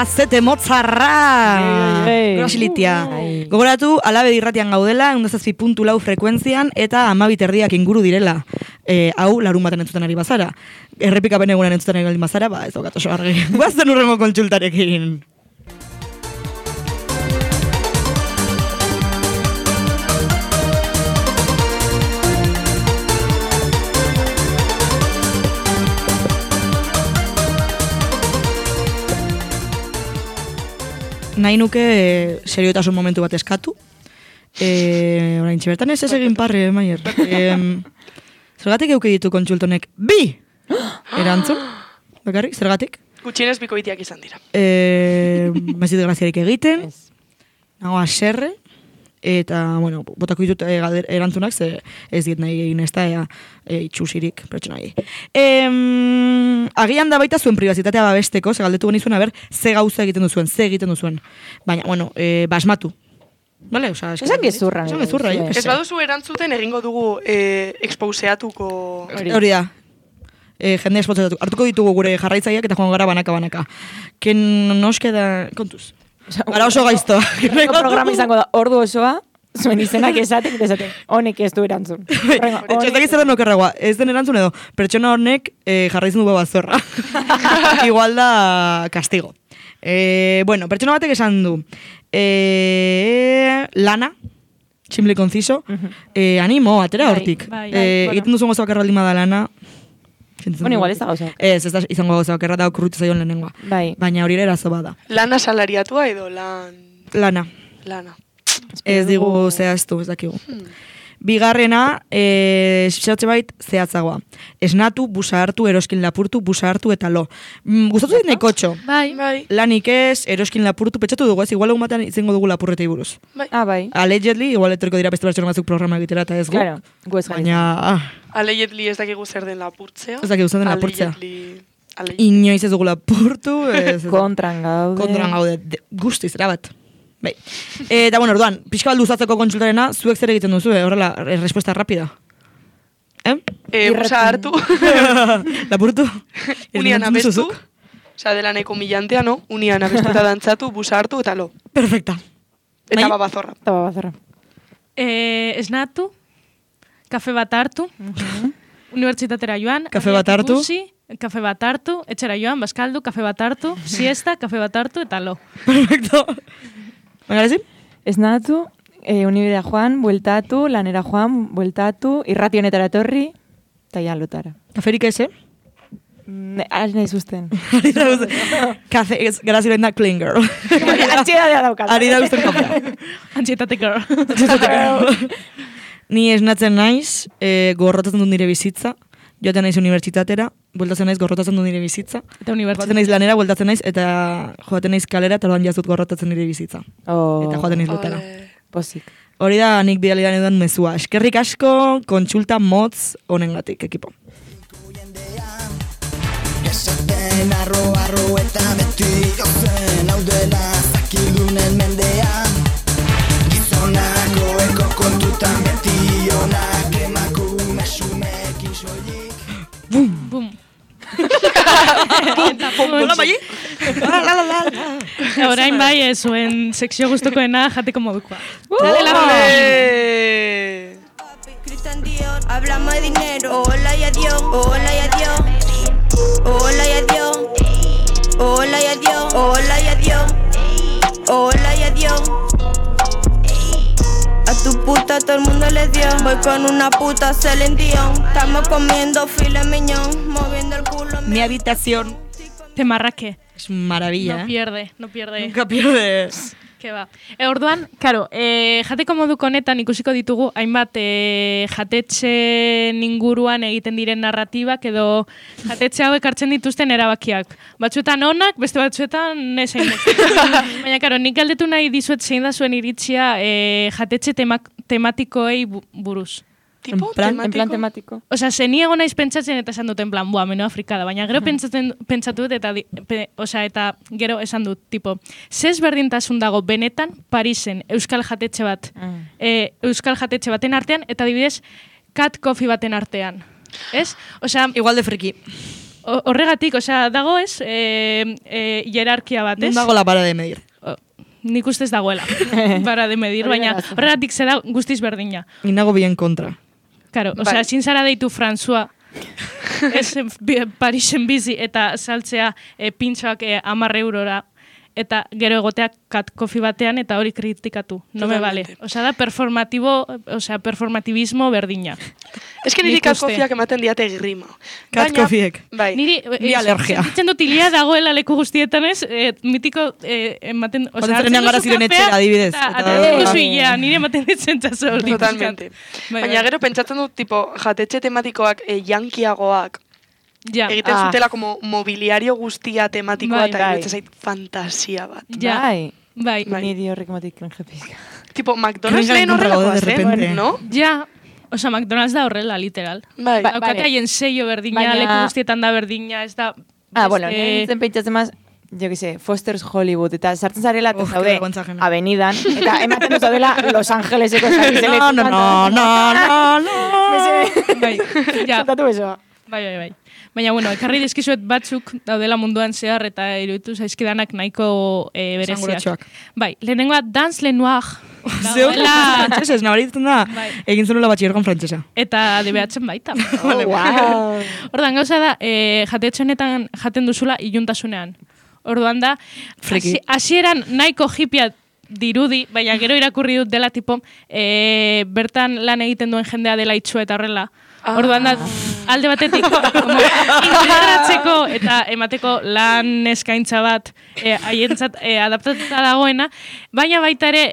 Azete motzarra! Grosilitia. Gogoratu, Alabe irratian gaudela, 107.4 frekuentzian, eta 12 inguru direla. Hau, larun baten entzuten ari bazara. Errepikapen egunan entzuten ari bazara, ez daukat oso argi. Guazten urrengo kontsultarekin. Nahi nuke seriotasun momentu bat eskatu. Orain txibertan ez egin parre, Maier. Zergatik euke ditu kontsultonek? Bi! Erantzun? Bakarrik, zergatik? Gutxienez bikoitiak izan dira. Mazit graziarik egiten. Nago aserre. Eta, bueno, botako ditut erantzunak, ze ez diet nahi egin ez da, itxusirik, pertsonai. Agian da baita zuen pribazitatea babesteko, ze galdetu genizuen, ze gauza egiten duzuen, ze egiten duzuen. Baina, bueno, basmatu. Vale, oza, esan gezurra. Ez baduzu erantzuten egingo dugu exposeatuko... Hori da. Jende exposeatu. Hartuko ditugu gure jarraitzaileak eta joan gara banaka. Ken noske da... Kontuz. Gara oso gaiztoa. Programa izango da, ordu osoa, zuen izenak esatek, honek ez du erantzun. Etxotak izan okerragoa, ez den erantzun edo, pertsona honek jarraitzen du babazorra. Igual da castigo. Bueno, pertsona batek esan du, lana, simple conciso, animo, atera hortik. Egiten duzun gozo bakarra da lana, bueno, igual ez da gauza. Ez da izango gauza bakarra da okurrutu zaion lehenengoa. Baina hori erazo bada. Lana salariatua edo Lana. Ez digu zehaztu, ez dakigu. Bigarrena, xertxe bait zehatzagoa. Esnatu, busa hartu, eroskin lapurtu, busa hartu eta lo. Gustatu dit nekotxo. Bai. Lanik ez, eroskin lapurtu, petxatu dugu ez, igual egun batean izango dugu lapurretei buruz. Bai. Allegedly, igual etorko dira beste pertsona batzuk programa egitera eta ez gu. Claro, gu ez baina... Allegedly ez dakigu zer den lapurtzea. Ez dakigu zer den lapurtzea. Inoiz ez dugu lapurtu. Kontran gaude. Guztiz, erabat. Bai. Eta, bueno, orduan, pixka bat luzatzeko kontsultarena, zuek zer egiten duzu, horrela, respuesta rapida. Busa hartu. Lapurtu? Unian abestu. Osa, dela nahiko millantea, no? Unian abestu eta dantzatu, busa hartu eta lo. Perfecta. Eta babazorra. Esnatu, kafe bat hartu, unibertsitatera joan, kafe bat hartu, kafe bat hartu, etxera joan, baskaldu, kafe bat hartu, siesta, kafe bat hartu eta lo. Perfecto. Baina, esnatu, unibidea joan, bueltatu, lanera joan, bueltatu, irrati honetara etorri, eta ja lotara. Kaferik eze? Ari nahi zuzten. Kafe, gara ziren da clean girl. Antxietatea daukat. Ari da usten kafea. Antxietate girl. Ni esnatzen naiz, gorrotatzen dut nire bizitza, joaten naiz unibertsitatera, bueltatzen naiz gorrotatzen dut nire bizitza, joaten naiz lanera, bueltatzen naiz, eta joaten naiz kalera, eta loan jazut gorrotatzen nire bizitza. Eta joaten naiz lotara. Pozik. Hori da, nik bidalidan edan mezua. Eskerrik asko, kontsulta motz honengatik, ekipo. Esaten arro eta beti ozen, hau dela zakidunen mendean, gizonako eko kontutan beti onak emakume xumekin soilik. Bum! Bum! Hola, Mayi? Orain bai, zuen sekzio gustukoena jateko modukoa. Cristian Dior, hablamos de dinero. Hola y adiós, hola y adiós. Hola y adiós. Hola y adiós, hola y adiós. Hola y adiós. A tu puta todo el mundo le dio. Voy con una puta Celine Dion. Estamos comiendo filet mignon, moviendo el culo. Mi habitación. Te marraque. Es maravilla, no pierde. Nunca pierde. Que va. Orduan, claro, jateko moduko honetan ikusiko ditugu hainbat jatetxeen inguruan egiten diren narratibak edo jatetxe hauek hartzen dituzten erabakiak. Batzuetan onak, beste batzuetan nezein. Baina, claro, nik galdetu nahi dizuet zein da zuen iritzia jatetxe tematikoei buruz. En plan tematiko. Osea, zeni egon naiz pentsatzen eta esan dut, en plan, meno afrikada, baina gero pentsatu dut eta gero esan dut, tipo, zez berdintasun dago benetan Parisen euskal jatetxe bat, euskal jatetxe baten artean, eta adibidez, Cat Coffee baten artean. Ez? Osea, igual de friki. horregatik, osea, dago ez, hierarkia bat, ez? Non dago la para de medir. Nik ustez dagoela, para de medir, baina horregatik zeda guztiz berdina. Ni nago bien kontra. Claro, osea, ezin zara deitu François, ez Parisen bizi eta saltzea pintxoak 10 eurora, eta gero egoteak kat kofi batean eta hori kritikatu. No me vale. Osea, da performatibismo berdina. Ez que niri kat kofiak ematen diate grima. Kat kofiek. Bai. Ni alergia. Sentitzen dut ilia dagoela leku guztietan ez, mitiko ematen... Osea, trenean gara ziren etxera, adibidez. Eta nire ematen ditzen txaso hori. Totalmente. Baina gero pentsatzen dut, tipo, jatetxe tematikoak jankiagoak, egiten zutela como mobiliario guztia tematikoa eta iruditzen zait fantasia bat. Bai. Niri horrek ematik krenge pizka. Tipo, McDonald's lehen horrelakoa zen, no? Ja, osea, McDonald's da horrela, literal. Bai. Daukate haien sello berdina, leku guztietan da berdina, ez da... Bueno, nintzen pentsatzen maz, jo que sé, Foster's Hollywood, eta sartzen zarela, eta zaude, avenidan, eta ematen dut zaudela Los Angeleseko zakizeleko. No. Bai, zantatu eso. Bai. Baina, bueno, ekarri dizkizuet batzuk daudela munduan zehar eta iruditu zaizkidanak nahiko bereziak. Bai, lehenengoa Dans le Noir. Zeoela frantzesez, nabaritzen da, egin zenula batxiergon frantzesa. Eta DBH-en baita. Wow. Ordan, gauza da, jatetxonetan jaten duzula iluntasunean. Orduan da, hasieran nahiko hipia dirudi, baina gero irakurri dut dela tipo, bertan lan egiten duen jendea dela itxua eta horrela. Orduan da, alde batetik, integratzeko eta emateko lan eskaintza bat haientzat adaptatuta dagoena, baina baita ere,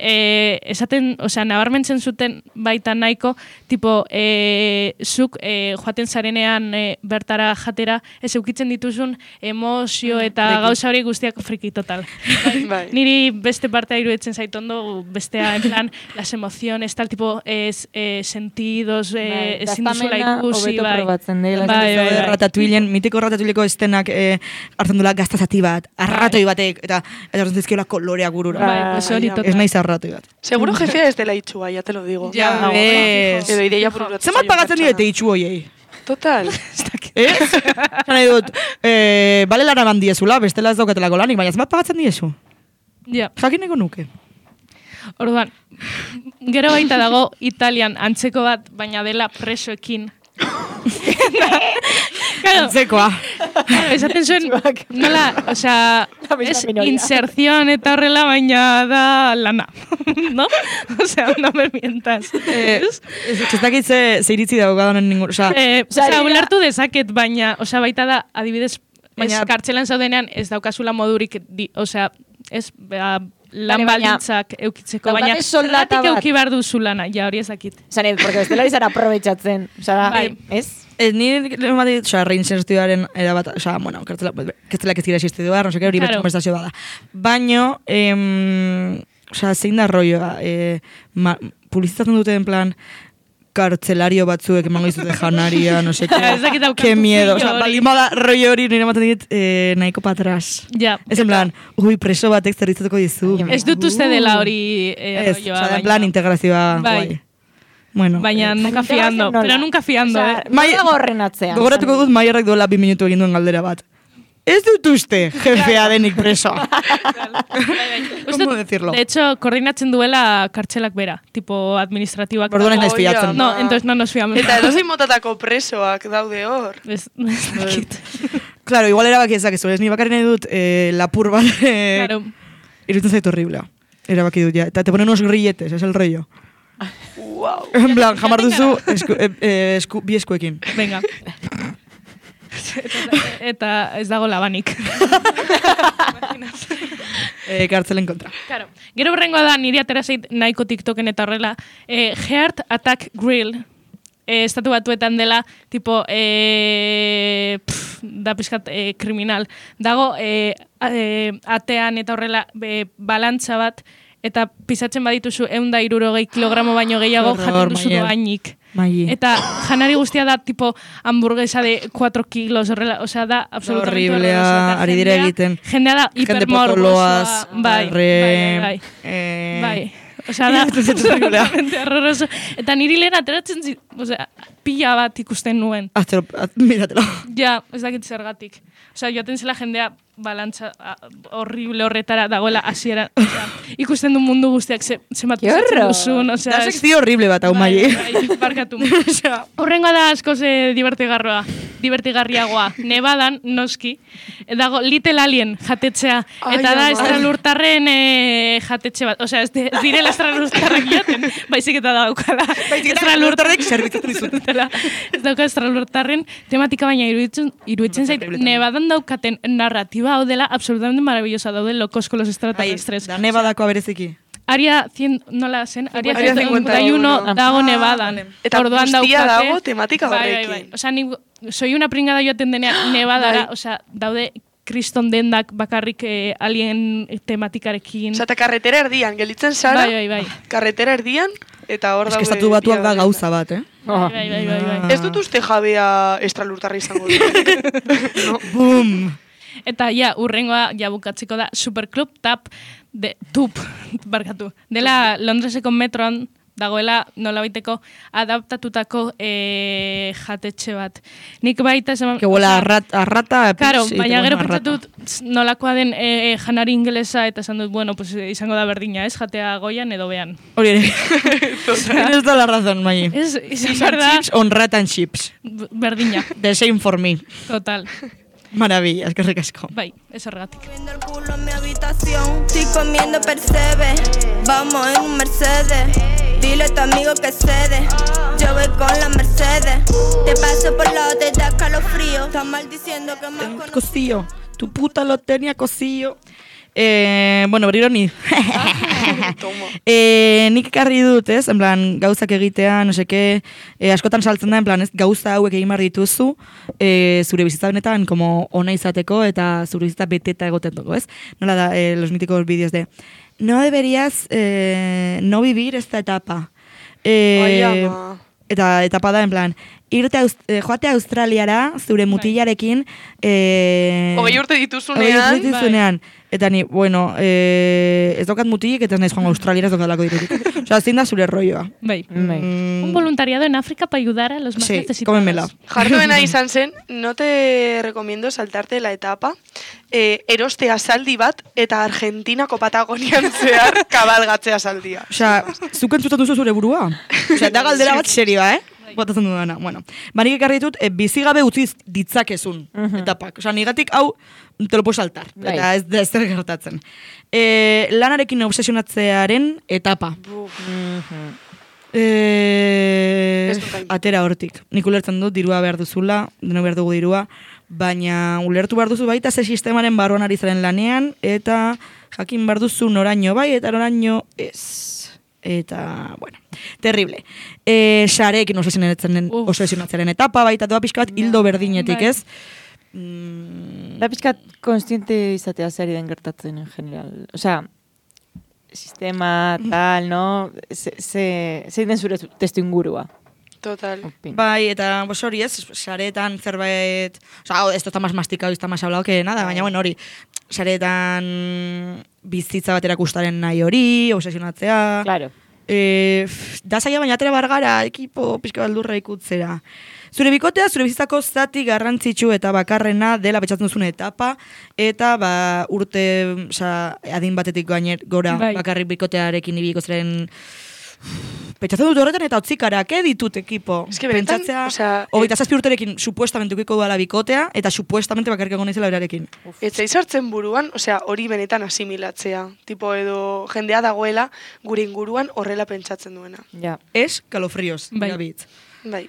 esaten, osea, nabarmentzen zuten baita nahiko, tipo, zuk joaten zarenean bertara jatera, ez eukitzen dituzun emozio eta gauza hori guztiak friki total. Niri beste partea iruditzen zaitondo, bestea, en plan, las emociones, tal tipo, sentidos, ezin duzula ikusi, Ratatuilen, mitiko ratatuileko estenak hartzen dula gaztazati bat, arratoi batek, eta hartzen zizkiola kolorea gurura. Ez naiz arratoi bat. Seguro jefea ez dela itxua, ya te lo digo. Ja, ves. Edo ideia bururatzen. Zemat pagatzen direte itxu hoiei? Total. Ez? Zan dut, bale lana bandiezula, bestela ez daukatelako lanik, baina zemat pagatzen diezu? Ja. Jakineko nuke. Orduan, gero baita dago Italian antzeko bat, baina dela presoekin. Antzekoa. Esaten zuen, nola, osea, es inserción eta horrela, baina da lana, no? Osea, no me mientas. Ez dakit ze iritzi dago gadanen ningun, osea, ulertu dezaket, baina, osea, baita da, adibidez, kartzelan zaudenean ez daukazula modurik, osea, ez, lan baldintzak eukitzeko, baina zergatik euki behar duzu lana, ja hori ezakit. Zanet, porque bestela izan aprobetxatzen, ez? Nire ematik, reinsertioaren erabat, bueno, kartzelak ez gira existidua, no seke hori betxo konversazio bada. Baino, zein da rolloa, publizitatzen dute en plan, kartzelario batzuek emango izute janaria, no sé qué miedo. Baldin bada rollo hori nire ematen dit nahiko patras. Ez en plan, preso batek zerritzatuko dizu. Ez dut uste dela hori rolloa. En plan, integrazioa guai. Bueno, baina nunca fiando, pero nunca fiando. Gorren atzean. Gogoratuko dut Maierrak duela 2 minutu egin duen galdera bat. Ez dut uste, jefea denik preso. ¿Cómo decirlo? De hecho, koordinatzen duela kartxelak bera, tipo administratiboak. Orduan ez naiz fiatzen. No, entonces no nos fiamos. Eta edozein motatako presoak daude hor. Claro, igual erabaki ezakezu, ez ni bakarri nahi dut lapur bat. Iruditzen zaitu horriblea. Erabaki dut, ja. Eta te ponen unos grilletes, es el rollo. Wow. En plan, jamar duzu bi eskuekin. Venga. Eta ez dago labanik. Kartzelen kontra. Claro. Gero berrengoa da, niri atera zait nahiko TikToken eta horrela, Heart Attack Grill, estatu batuetan dela, tipo, da pizkat kriminal. Dago, atean eta horrela, balantza bat, eta pisatzen badituzu 160 kilogramo baino gehiago jaten duzu doainik. Eta janari guztia da tipo hamburguesa de 4 kilos, horrela, osea da absolutamente horriblea, ari dira egiten. Jendea da hipermorbosoa. Bai. Osea, da, totalmente horroroso. Eta niri lehen ateratzen osea, pila bat ikusten nuen. Miratelo. Ja, ez dakit zergatik. Osea, joaten zela jendea balantza horrible horretara dagoela hasiera. Osea, ikusten du mundu guztiak zenbat usatzen duzun. Osea, Da sekzio horrible bat, hau Mai. Bai, barkatu. Horrengoa da askoz divertigarriagoa. Nevadan, noski, dago Little Alien jatetxea. Eta da estralurtarren jatetxe bat. Osea, ez direla estralurtarrak jaten, baizik eta daukala. Estralurtarrek zerbitzatzen dizut. Ez dauka estralurtarren tematika, baina iruditzen zait, Nevadan daukaten narratiba hau dela absolutamente maravillosa, daude locos con los extraterrestres. Da Nevadako bereziki. Área 100, nola zen? Área 51 dago Nevadan. Eta guztia dago tematika horrekin. Bai. Osea, ni soy una pringada joaten denean Nevadara, osea, daude kriston dendak bakarrik alien tematikarekin. Osea, eta karretera erdian, gelitzen zara, bai. karretera erdian, eta hor daude... Estatu Batuak da gauza bat, Bai. Ez dut uste jabea estralurtarra izango dut. No. Boom! Eta urrengoa bukatzeko da Superclub Tup, barkatu. Dela Londreseko metroan dagoela nolabaiteko adaptatutako jatetxe bat. Nik baita esan... Que huela arrata... Claro, baina gero pentsatut nolakoa den janari ingelesa eta esan dut, bueno, pues izango da berdina, ez? Jatea goian edo bean. Hori ere. Tienes toda la razón, Mai. Izan berda... Chips on rat and chips. Berdina. The same for me. Total. Maravilla, eskerrik asko. Bai, ez horregatik. Viendo el culo en mi habitación, estoy comiendo percebe. Vamos en un Mercedes. Dile a tu amigo que cede. Yo voy con la Mercedes. Te paso por lado, te da calofrío. Estás maldiciendo que me has conocido. Cosillo. Tu puta lo tenía cosillo. Bueno, berriro ni. Nik ekarri dut, ez? En plan, gauzak egitea, no seke, askotan saltzen da, en plan, ez? Gauza hauek egin behar dituzu, zure bizitza benetan, como ona izateko, eta zure bizitza beteta egoten dugu, ez? Nola da, los míticos vídeos de, no deberías no vivir esta etapa. Eta etapa da, en plan, joate Australiara, zure mutilarekin... 20 urte dituzunean. Eta ni, bueno, ez daukat mutilik, eta ez naiz joan Australiara, ez daukatlako dirudik. Osea, zein da zure rolloa. Bai. Un voluntariado en África para ayudar a los más necesitados. Sí, cómemela. Jarduena izan zen, no te recomiendo saltarte la etapa, erostea saldi bat, eta Argentinako Patagonian zehar kabalgatzea saldia. Osea, zuk entzutan duzu zure burua? Osea, da galdera bat serioa, botatzen dudana. Bueno, banik ekarri ditut, bizigabe utziz ditzakezun etapak. Osea, nigatik hau te lo puedo saltar. Eta ez da zer gertatzen. Lanarekin obsesionatzearen etapa. Atera hortik. Nik ulertzen dut, dirua behar duzula, deno behar dugu dirua, baina ulertu behar duzu baita ze sistemaren barruan ari zaren lanean, eta jakin behar duzu noraino bai, eta noraino ez. Eta, bueno, terrible. Sarekin obsesionatzearen etapa, baita doa pixka bat hildo berdinetik, ez? Da pixkat konstiente izatea zari den gertatzen en general. Osea, sistema, tal, no? Zein den zure testu ingurua. Total. Bai, eta hori ez, saretan zerbait... Osea, esto está más masticado y está más hablado que nada, baina, bueno, hori, saretan bizitza bat erakustaren nahi hori, obsesionatzea... Claro. Da zaila baina atera bargara, ekipo pixka baldurra ikutzera. Zure bikotea, zure bizitzako zati garrantzitsu eta bakarrena dela betxatzen duzun etapa, eta urte, adin batetik gora bakarrik bikotearekin ibiliko ziren... Pentsatzen dut horretan eta otzikarak, ditut ekipo. Es que benetan, pentsatzea, 27 urterekin supuestamente ukiko duala bikotea, eta supuestamente bakarrik egon izela berarekin. Ez zaizartzen buruan, hori benetan asimilatzea. Tipo edo jendea dagoela gure inguruan horrela pentsatzen duena. Ja. Ez, kalofrios. Bai.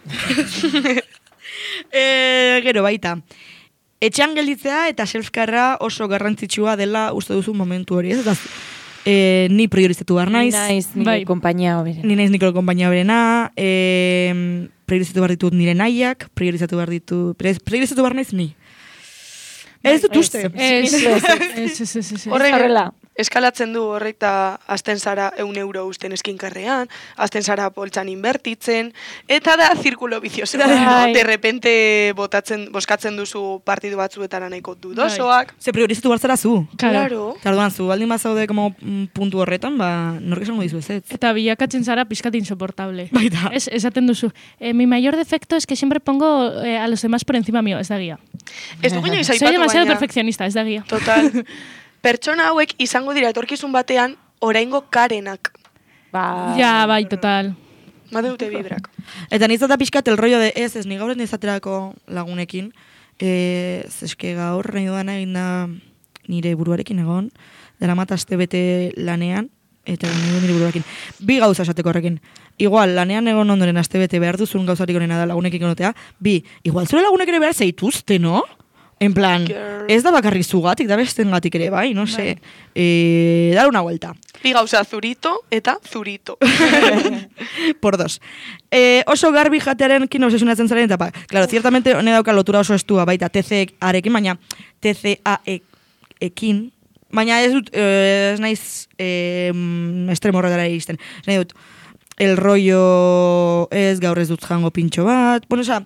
Gero baita. Etxean gelditzea eta selfkarra oso garrantzitsua dela uste duzu momentu hori. Ez da, ni priorizatu behar naiz. Ni naiz nire kompainia hoberena. Ni naiz nire kompainia hoberena. Priorizatu behar ditut nire nahiak. Priorizatu behar naiz ni. Ez dut uste. Ez. Horrela. eskalatzen du horrek eta azten zara 100 euro usten eskinkarrean, azten zara poltsan inbertitzen, eta da zirkulo bizioso. De repente boskatzen duzu partidu batzuetara nahiko dudosoak. Se priorizatu barzara zu. Claro. Tarduan, zu baldin bazaude como puntu horretan, nork esango dizu ez. Eta bilakatzen zara pizkat insoportable. Baita. Esaten duzu, mi mayor defecto es que siempre pongo a los demás por encima mío, ez da guía. Ez dugu inoiz aipatu Soy demasiado baina. perfeccionista, ez da guía. Total. Pertsona hauek izango dira etorkizun batean oraingo Karenak. Ja, bai, total. Badeute bibrak. Eta nizata pixkat el rollo de ez ni gaur nizaterako lagunekin, eske gaur nahi dudana egin da nire buruarekin egon, dara mat aste bete lanean, eta nire buruarekin. Bi gauza esateko horrekin. Igual, lanean egon ondoren aste bete behar duzun gauzarik onena da lagunekin egotea, igual zure lagunek ere behar zeituzte, no? En plan, ez da bakarrik zugatik, da bestengatik ere, bai, no sé. Dar una vuelta. Bi gauza zurito eta zurito. Por dos. Oso garbi jatearen kin obsesionatzen zaren, eta claro, ciertamente hone dauka lotura oso estua, baita TCA-arekin, baina TCA-ekin, baina ez dut, ez naiz estremo horretara iristen. Ez nahi dut, el rollo ez gaur ez dut jango pintxo bat, bueno, oza,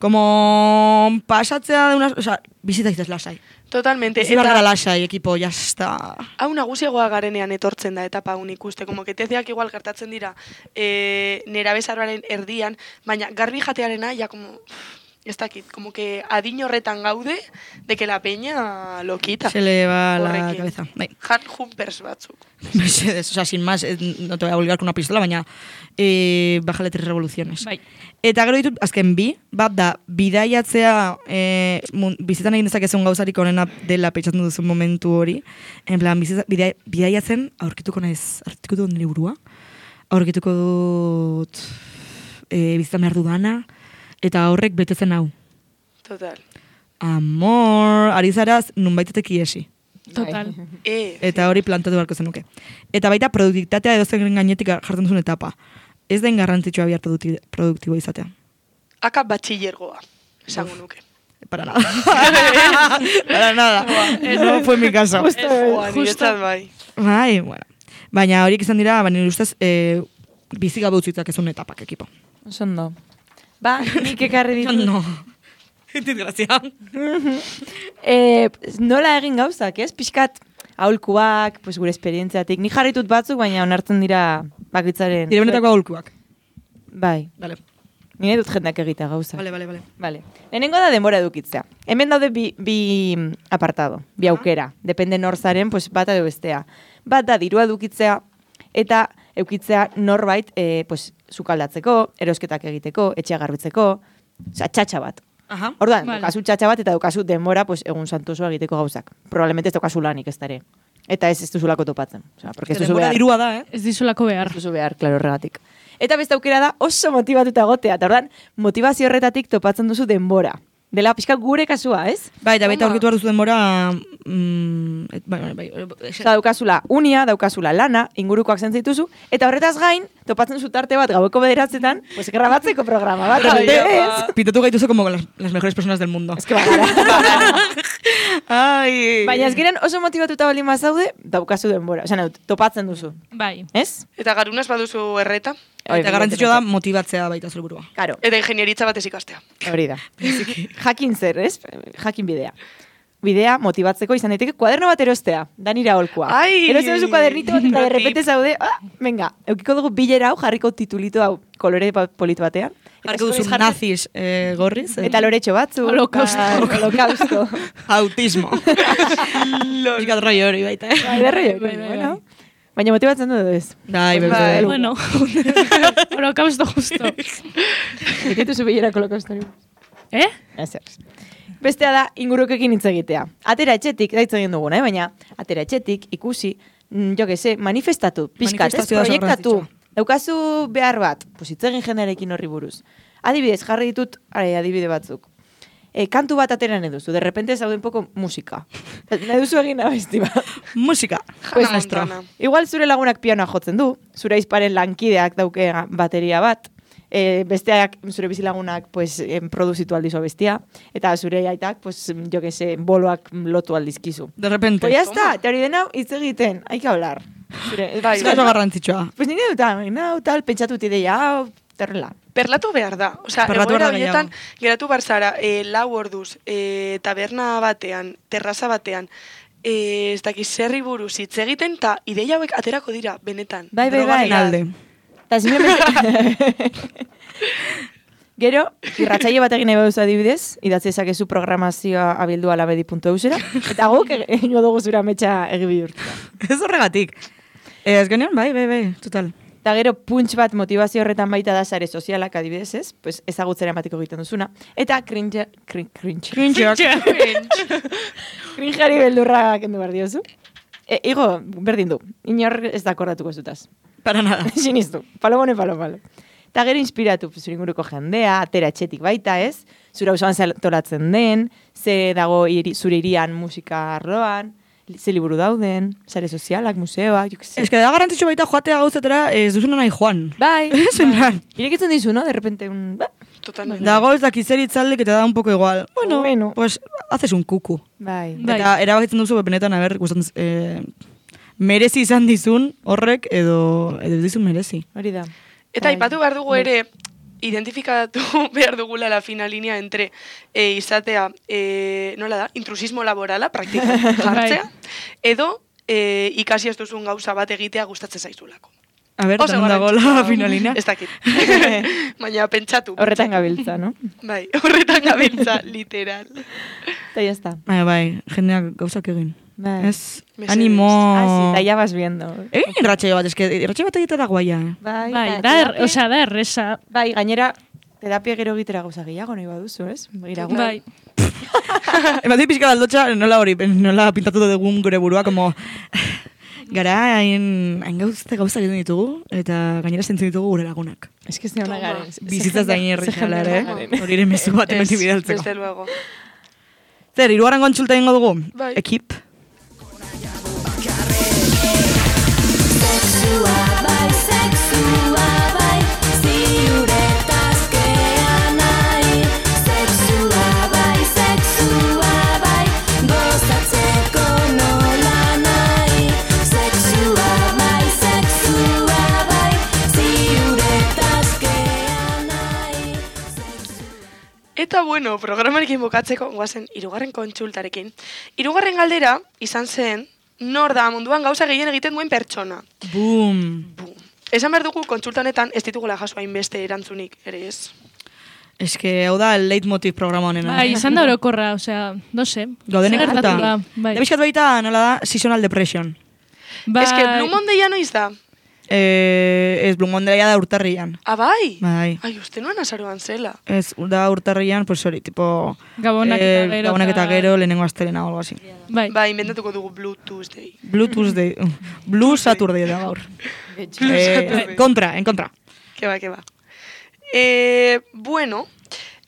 como pasatzea de unas, o sea, bizita izaz lasai. Totalmente. Ez gara lasai, ekipo, ya está. Hau nagusiagoa garenean etortzen da etapa hau ikuste, como que teziak igual gertatzen dira nera bezaroaren erdian, baina garbi jatearena, ja como, ez dakit, como que adin horretan gaude, de que la peña lo quita. Se le va la Horrekin. cabeza. Bai. Hard jumpers batzuk. Mesedes, o sea, sin más, no te voy a obligar con una pistola, baina bájale 3 revoluciones. Bai. Eta gero ditut, azken bat da, bidaiatzea bizitan egin dezakezun gauzarik onena dela pentsatzen duzun momentu hori. En plan, bidaiatzen aurkituko dut nire burua, aurkituko dut bizitan behar dudana, eta horrek betetzen hau. Total. Amor, ari zaraz, nunbaitetek iesi. Total. Eta hori plantatu beharko zenuke. Eta baita produktitatea edozen gainetik jartzen duzun etapa. Ez den garrantzitsua bihar produktibo izatea. Aka batxillergoa, esango nuke. Para nada. Para nada. No fue mi caso. Justo bai. Bai, bueno. Baina horiek izan dira, baina ustez, bizi gabe utzitzak ezun etapak ekipo. Osondo. Ba, nik ekarri ditu. No. Desgrazia. Nola egin gauzak, ez? Pixkat aholkuak, pues, gure esperientziatik. Nik jarritut batzuk, baina onartzen dira bakitzaren. Dire benetako aholkuak. Bai. Vale. Nire dut jendak egita gauzak. Vale. Lehenengo da denbora edukitzea. Hemen daude bi apartado, bi aukera. Depende norzaren, pues, bata edo bestea. Bat da dirua edukitzea eta eukitzea norbait pues, sukaldatzeko, erosketak egiteko, etxea garbitzeko, osea, txatxa bat. Aha. Orduan, Vale. daukazu txatxa bat eta daukazu denbora pues, egun santosoa egiteko gauzak. Probablemente ez daukazu lanik ez dare. Eta ez duzulako topatzen. Osea, porque ez duzu Denbora behar. dirua da, Ez dizulako behar. Ez duzu behar, klaro, horregatik. Eta beste aukera da oso motibatuta egotea. Eta orduan, motivazio horretatik topatzen duzu denbora. Dela pixka gure kasua, ez? Bai, eta baita aurkitu behar duzu denbora... Eta daukazula unia, daukazula lana, ingurukoak zentzituzu, eta horretaz gain, topatzen zu tarte bat gaueko 9:00, pues grabatzeko programa bat. Pitatu gaituzu como las mejores personas del mundo. Ez que bagara. Ai. Baina ezgiren oso motibatuta bali mazaude, daukazu denbora. Osea, topatzen duzu. Bai. Ez? Eta garunaz baduzu erreta, Eta garrantzitsua da motibatzea baita zure burua. Karo, eta ingenieritza bat ez ikastea. hori da. Jakin zer, ez? Jakin bidea. Bidea motibatzeko izan daiteke kuaderno bat erostea, da nire aholkua. Ai! Erosten duzu kuadernito bat eta Pro derrepente tip. zaude, venga, eukiko dugu bilera hau, jarriko titulito hau kolore polito batean. Jarko duzu nazis gorriz. Eta loretxo batzu. Holokausto. Autismo. Piskat rollo hori baita, Bai, bueno. Baina motibatzen du ez. Bai, Bai. Bueno, holokausto justo. Egitetu zu bilera holokausto hori. Eh? Bestea da, ingurukekin hitz egitea. Atera etxetik, da hitz egin duguna, baina atera etxetik, ikusi, jo que se, manifestatu, pixkat, ez Manifestazioa oso proiektatu. garrantzitsua. Daukazu behar bat, pues hitz egin jendearekin horri buruz. Adibidez, jarri ditut adibide batzuk. Kantu bat atera nahi duzu, de repente zauden poko musika. Nahi duzu egin abesti bat. Musika. Pues, Montana. igual zure lagunak pianoa jotzen du, zure aizparen lankideak dauke bateria bat, besteak, zure bizilagunak, pues, produzitu aldizu bestia, eta zure aitak, pues, jo que se, boloak lotu aldizkizu. De repente. Pues ya está, eta hori dena hitz egiten, hay que hablar. Zure, Bai, Ez da oso garrantzitsua. pues nire dut, tal, pentsatut ideia, hau, terrela. Perlatu behar da. Osea, Perlatu egoera behar da horietan, gehiago. geratu barzara, 4 orduz, taberna batean, terraza batean, ez dakiz zerri buruz hitz egiten, eta ideia hauek aterako dira, benetan. Bai, Drogaren alde. Eta simplemente... Gero, irratsaio bat egin nahi baduzu adibidez, idatzi ezakezu programazioa abildu alabedi.eusera, eta guk egingo dugu zura metxa egi bihurtuta. Ez horregatik. Ez genean, bai, total. Eta gero, punts bat motivazio horretan baita da sare sozialak adibidez ez, pues ezagutzera ematiko egiten duzuna. Eta cringeak. Cringeari beldurra kendu behar diozu. Igo, berdin du, inor ez da akordatuko zutaz. Para nada. Sinistu, palo. Eta gero inspiratu zure inguruko jendea, atera etxetik baita ez, zure auzoan tolatzen den, ze dago zure irian musika arloan, ze liburu dauden, sare sozialak, museoak, jo que se. Ez que da garrantzitsu baita joatea gauzetera ez duzuna nahi joan. Bai, Zenan. irekitzen dizu, no? De repente, Totalmente. Dago ez dakizeritzalle que te da un poco igual. Bueno. Pues haces un kuku. bai. Bai. Eta erabakitzen duzu benetan, merezi izan dizun horrek edo ez dizun merezi. Hori da. Eta Bai. aipatu behar dugu ere, identifikatu behar dugula la fina linea entre izatea, nola da, intrusismo laborala, praktikan jartzea, edo ikasi ez duzun gauza bat egitea gustatzen zaizulako. A ber, Oso tanon dago la garrantzitsua. finalina. Ez dakit. Baina pentsatu. Horretan gabiltza, no? Bai, horretan gabiltza, literal. Eta ya está. Bai, jendeak gauzak egin. Bai. Ez, Mesedez. animo... Eta ya vas viendo. Egin irratxaio bat, eske irratxaio bat egitera guaia. Bai, Bai, eta da, terapia- osea, da erresa. Bai, gainera, terapia gero egitera gauza gehiago nahi baduzu, ez? Iragun. Bai. Ematik pixka aldotxa, nola pintatu dugun gure burua, como... Gara, hain gauza egiten ditugu, eta gainera zentzen ditugu gure lagunak. Ez que ez neona Toma. garen. Bizitzaz da inerrizala, ere? Hori ere mezu bat hemen bidaltzeko. Desde luego. Zer, hirugarren kontsulta egingo dugu? Bai. Ekip. Sexua bai, ziuretazkea nahi. Sexua bai, gozatzeko nola nahi. Sexua bai, ziuretazkea nahi. Eta bueno, programarekin bukatzeko, guazen, hirugarren kontsultarekin. Hirugarren galdera izan zen, nor da munduan gauza gehien egiten duen pertsona. Boom. Bum. Esan behar dugu, kontsulta honetan ez ditugula jaso hainbeste erantzunik, ere ez. Ez que hau da el leitmotiv programa honena. Bai, izan da orokorra, osea, no sé. Gaudenek Zer gertatu harta. da, bai. Da bizkat baita, nola da, seasonal depression. Bai. Ez que Blue Monday noiz da? Ez Blue Monday da urtarrian. Ah, bai? Bai. Ai, uste nuen azaroan zela. Ez, da urtarrian, pues hori, tipo... Gabonak eta gero. Gabonak eta eta- gero, lehenengo astelena o algo así. Bai. Bai, inventatuko dugu Blue Tuesday. Blue Tuesday. Blue Saturday da gaur. Saturday. En kontra. Ke ba. Bueno,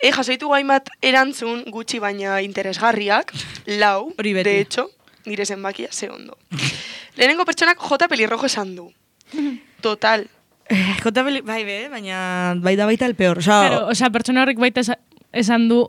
jasoitu hainbat erantzun gutxi baina interesgarriak, lau, Hori beti. de hecho, nire zenbakia ze ondo. Lehenengo pertsonak J. Pelirrojo esan du. Total. Bai be, baina bai da baita el peor. Claro, osea, pertsona horrek baita esan du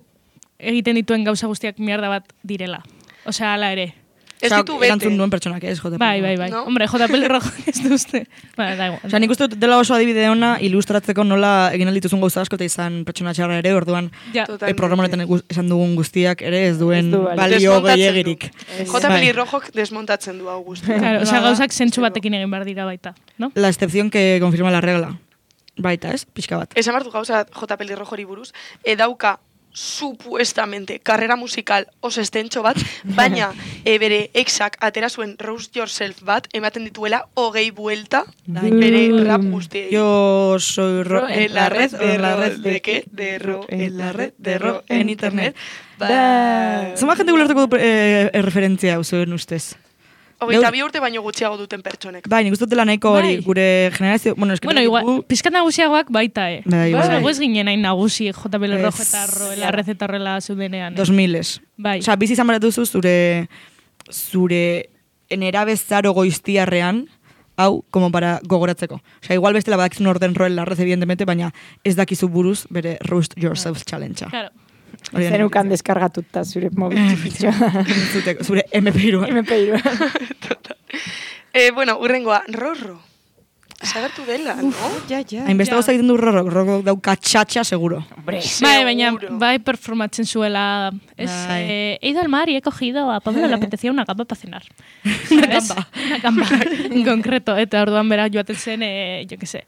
egiten dituen gauza guztiak mierda bat direla. Osea, ala ere. Ez ditu bete. Erantzun duen pertsonak, ez, JP. Bai. No? Hombre, JPL rojo ez du uste. Ba, da igual. Osa, nik uste dut dela oso adibide ona ilustratzeko nola egin aldituzun gauza asko eta izan pertsona txarra ere, orduan Ja. Totalmente. programa honetan esan dugun guztiak ere ez duen Ez du balio. balio Desmontatzen gehiagirik. du. J. Bai. Pelirrojok desmontatzen du Augusto. Claro, osea, Bada. gauzak zentsu batekin egin behar dira baita, no? La excepción que confirma la regla. Baita, ez? Pixka bat. Esan bartu gauza J. Pelirrojori buruz, dauka supuestamente karrera musikal oso estentxo bat, baina bere exak atera zuen Roast Yourself bat, ematen dituela 20 buelta bere rap guztiei. Yo soy ro En la red de qué? De ro, en la red de ro, en internet. Ba. Zoma jente gulertuko du referentzia hau zuen ustez. 22 urte baino gutxiago duten pertsonek. Bai, nik uste dela nahiko hori, Bai. gure generazio... Bueno, eski Bueno, igual, pizkat nagusiagoak baita, Bai, bai. Osea, ez ginen hain nagusi JPL rojo Ez. eta la red eta horrela zeudenean. 2000-es. Bai. Osa, bizi izan behar duzu zure nerabe zaro goiztiarrean, hau, como para gogoratzeko. Osea, igual bestela badakizun orden roel larrez, evidentemente, baina ez dakizu buruz bere Roast Yourself Challenge-a. Claro. Zenukan deskargatuta zure mobil txikitxoa. Zure MP3-a. Bueno, urrengoa, Rorro. Zagertu dela, no? Ja. Hainbeste gauza egiten du Rorro dauka txatxa, seguro. Bai, baina bai performatzen zuela. He ido al mar y he cogido a Pablo le apetecía una gamba para cenar. Una gamba. En concreto. Eta orduan bera joaten zen, jo que sé,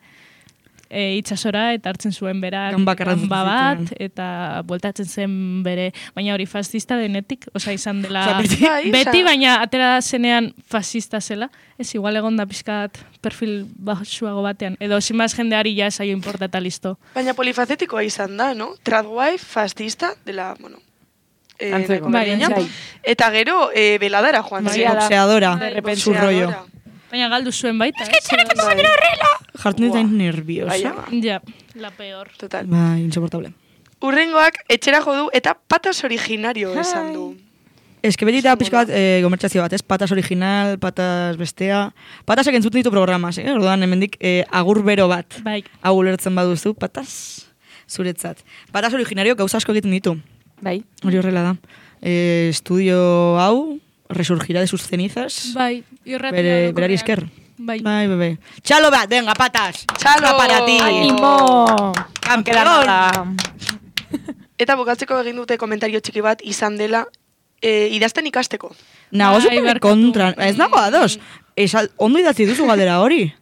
itsasora eta hartzen zuen bera Gamba bat, eta bueltatzen zen bere, baina hori fascista denetik, osea izan dela beti, baina atera zenean fascista zela, ez igual egon da pizkat perfil baxuago batean, edo sin más jendeari ja esaio importa eta listo. Baina polifacetikoa izan da, no? Tradwife, fascista, dela, bueno, Antzeko. eta gero, beladara joan Sí, boxeadora, su rollo. Baina galdu zuen baita, Jartzen dut nerviosa. Ja, la peor. Total. Bai, insoportable. Urrengoak etxera jo du eta patas originario esan du. Ez que beti da pixka bat gomertxazio bat, ez? Patas original, patas bestea. Patasek entzuten ditu programas, orduan hemendik agur bero bat. Bai. Hau ulertzen baduzu, patas zuretzat. Patas originario gauza asko egiten ditu. Bai. Hori horrela da. Estudio hau, resurgirá de sus cenizas. Bai, irratia. Berari esker. Bai. Bai, bebe. Txalo bat, venga, patas. Txalo! Para ti. Animo! Campeón! Eta bukatzeko egin dute komentario txiki bat izan dela idazten ikasteko. Nago Bai, super barkatu. kontra. Ez nago ados. Ondo idatzi duzu galdera hori.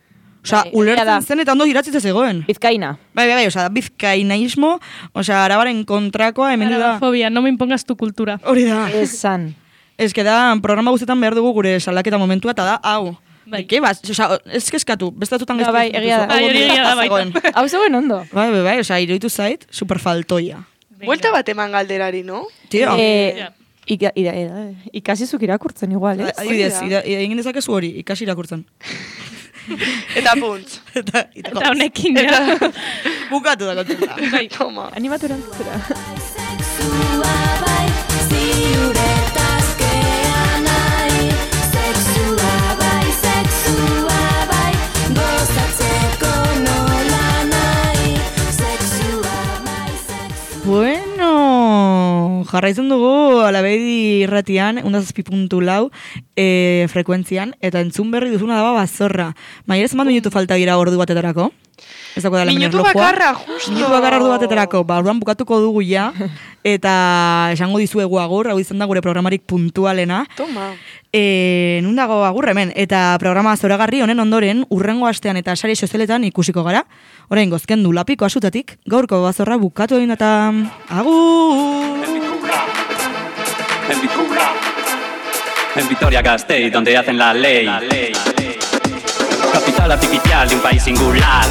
Osa, Bai, egia da. ulertzen zen eta ondo iratzitzen zegoen. Bizkaina. Bai, osa, bizkainaismo, osa, arabaren kontrakoa hemen da. Arabafobia, no me impongas tu cultura. Hori da. Esan. Ez que da, programa guztetan behar dugu gure salaketa momentua, eta da, hau. Bai. Eke bas, osa, ez kezkatu, bestatutan Ja, bai, egia da. Bai, hori egia da baita. Hau zegoen ondo. Bai, osa, iruditu zait, superfaltoia. Buelta bat eman galderari, no? Tio, Ja. Ikasizuk irakurtzen igual, ez? adibidez, egin dezakezu hori, ikasi irakurtzen. Eta puntz. Eta Eta honekin, ja. bukatu da kontzenta. Bai, toma. Animatu erantzera. Sexua bai, ziuretaz kean nahi. Sexua bai, gozatzeko nola nahi. Sexua bai, Bueno, jarraitzen dugu Alabedi irratian, 107.4 frekuentzian, eta entzun berri duzuna daba bazorra. Maia, zenbat minutu falta gira ordu batetarako? Ez dago da Minutu bakarra, justo. Minutu bakarra ordu batetarako, ba, orduan bukatuko dugu ja, eta esango dizuegu agur, hau izan da gure programarik puntualena. Toma. Nun dago agur hemen, eta programa zoragarri honen ondoren, urrengo astean eta sare sozialetan ikusiko gara. Orain gozken du lapiko asutatik, gaurko bazorra bukatu egin eta agur! En Vitoria-Gasteiz, donde hacen la ley. Capital artificial de un país singular.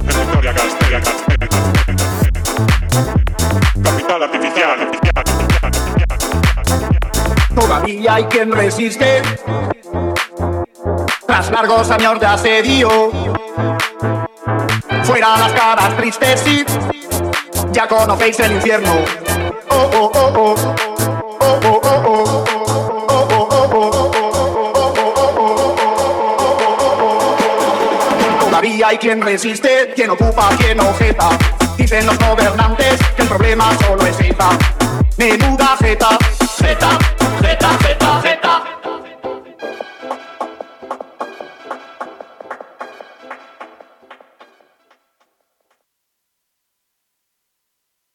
En Vitoria-Gasteiz, capital artificial. Todavía hay quien resiste tras largos años de asedio. Fuera las caras tristes, sí, ya conocéis el infierno. Oh, oh, oh, oh. Oh, oh, oh, oh. Todavía hay quien resiste, quien ocupa, quien objeta. Dicen los gobernantes que el problema solo es ETA. Menuda jeta.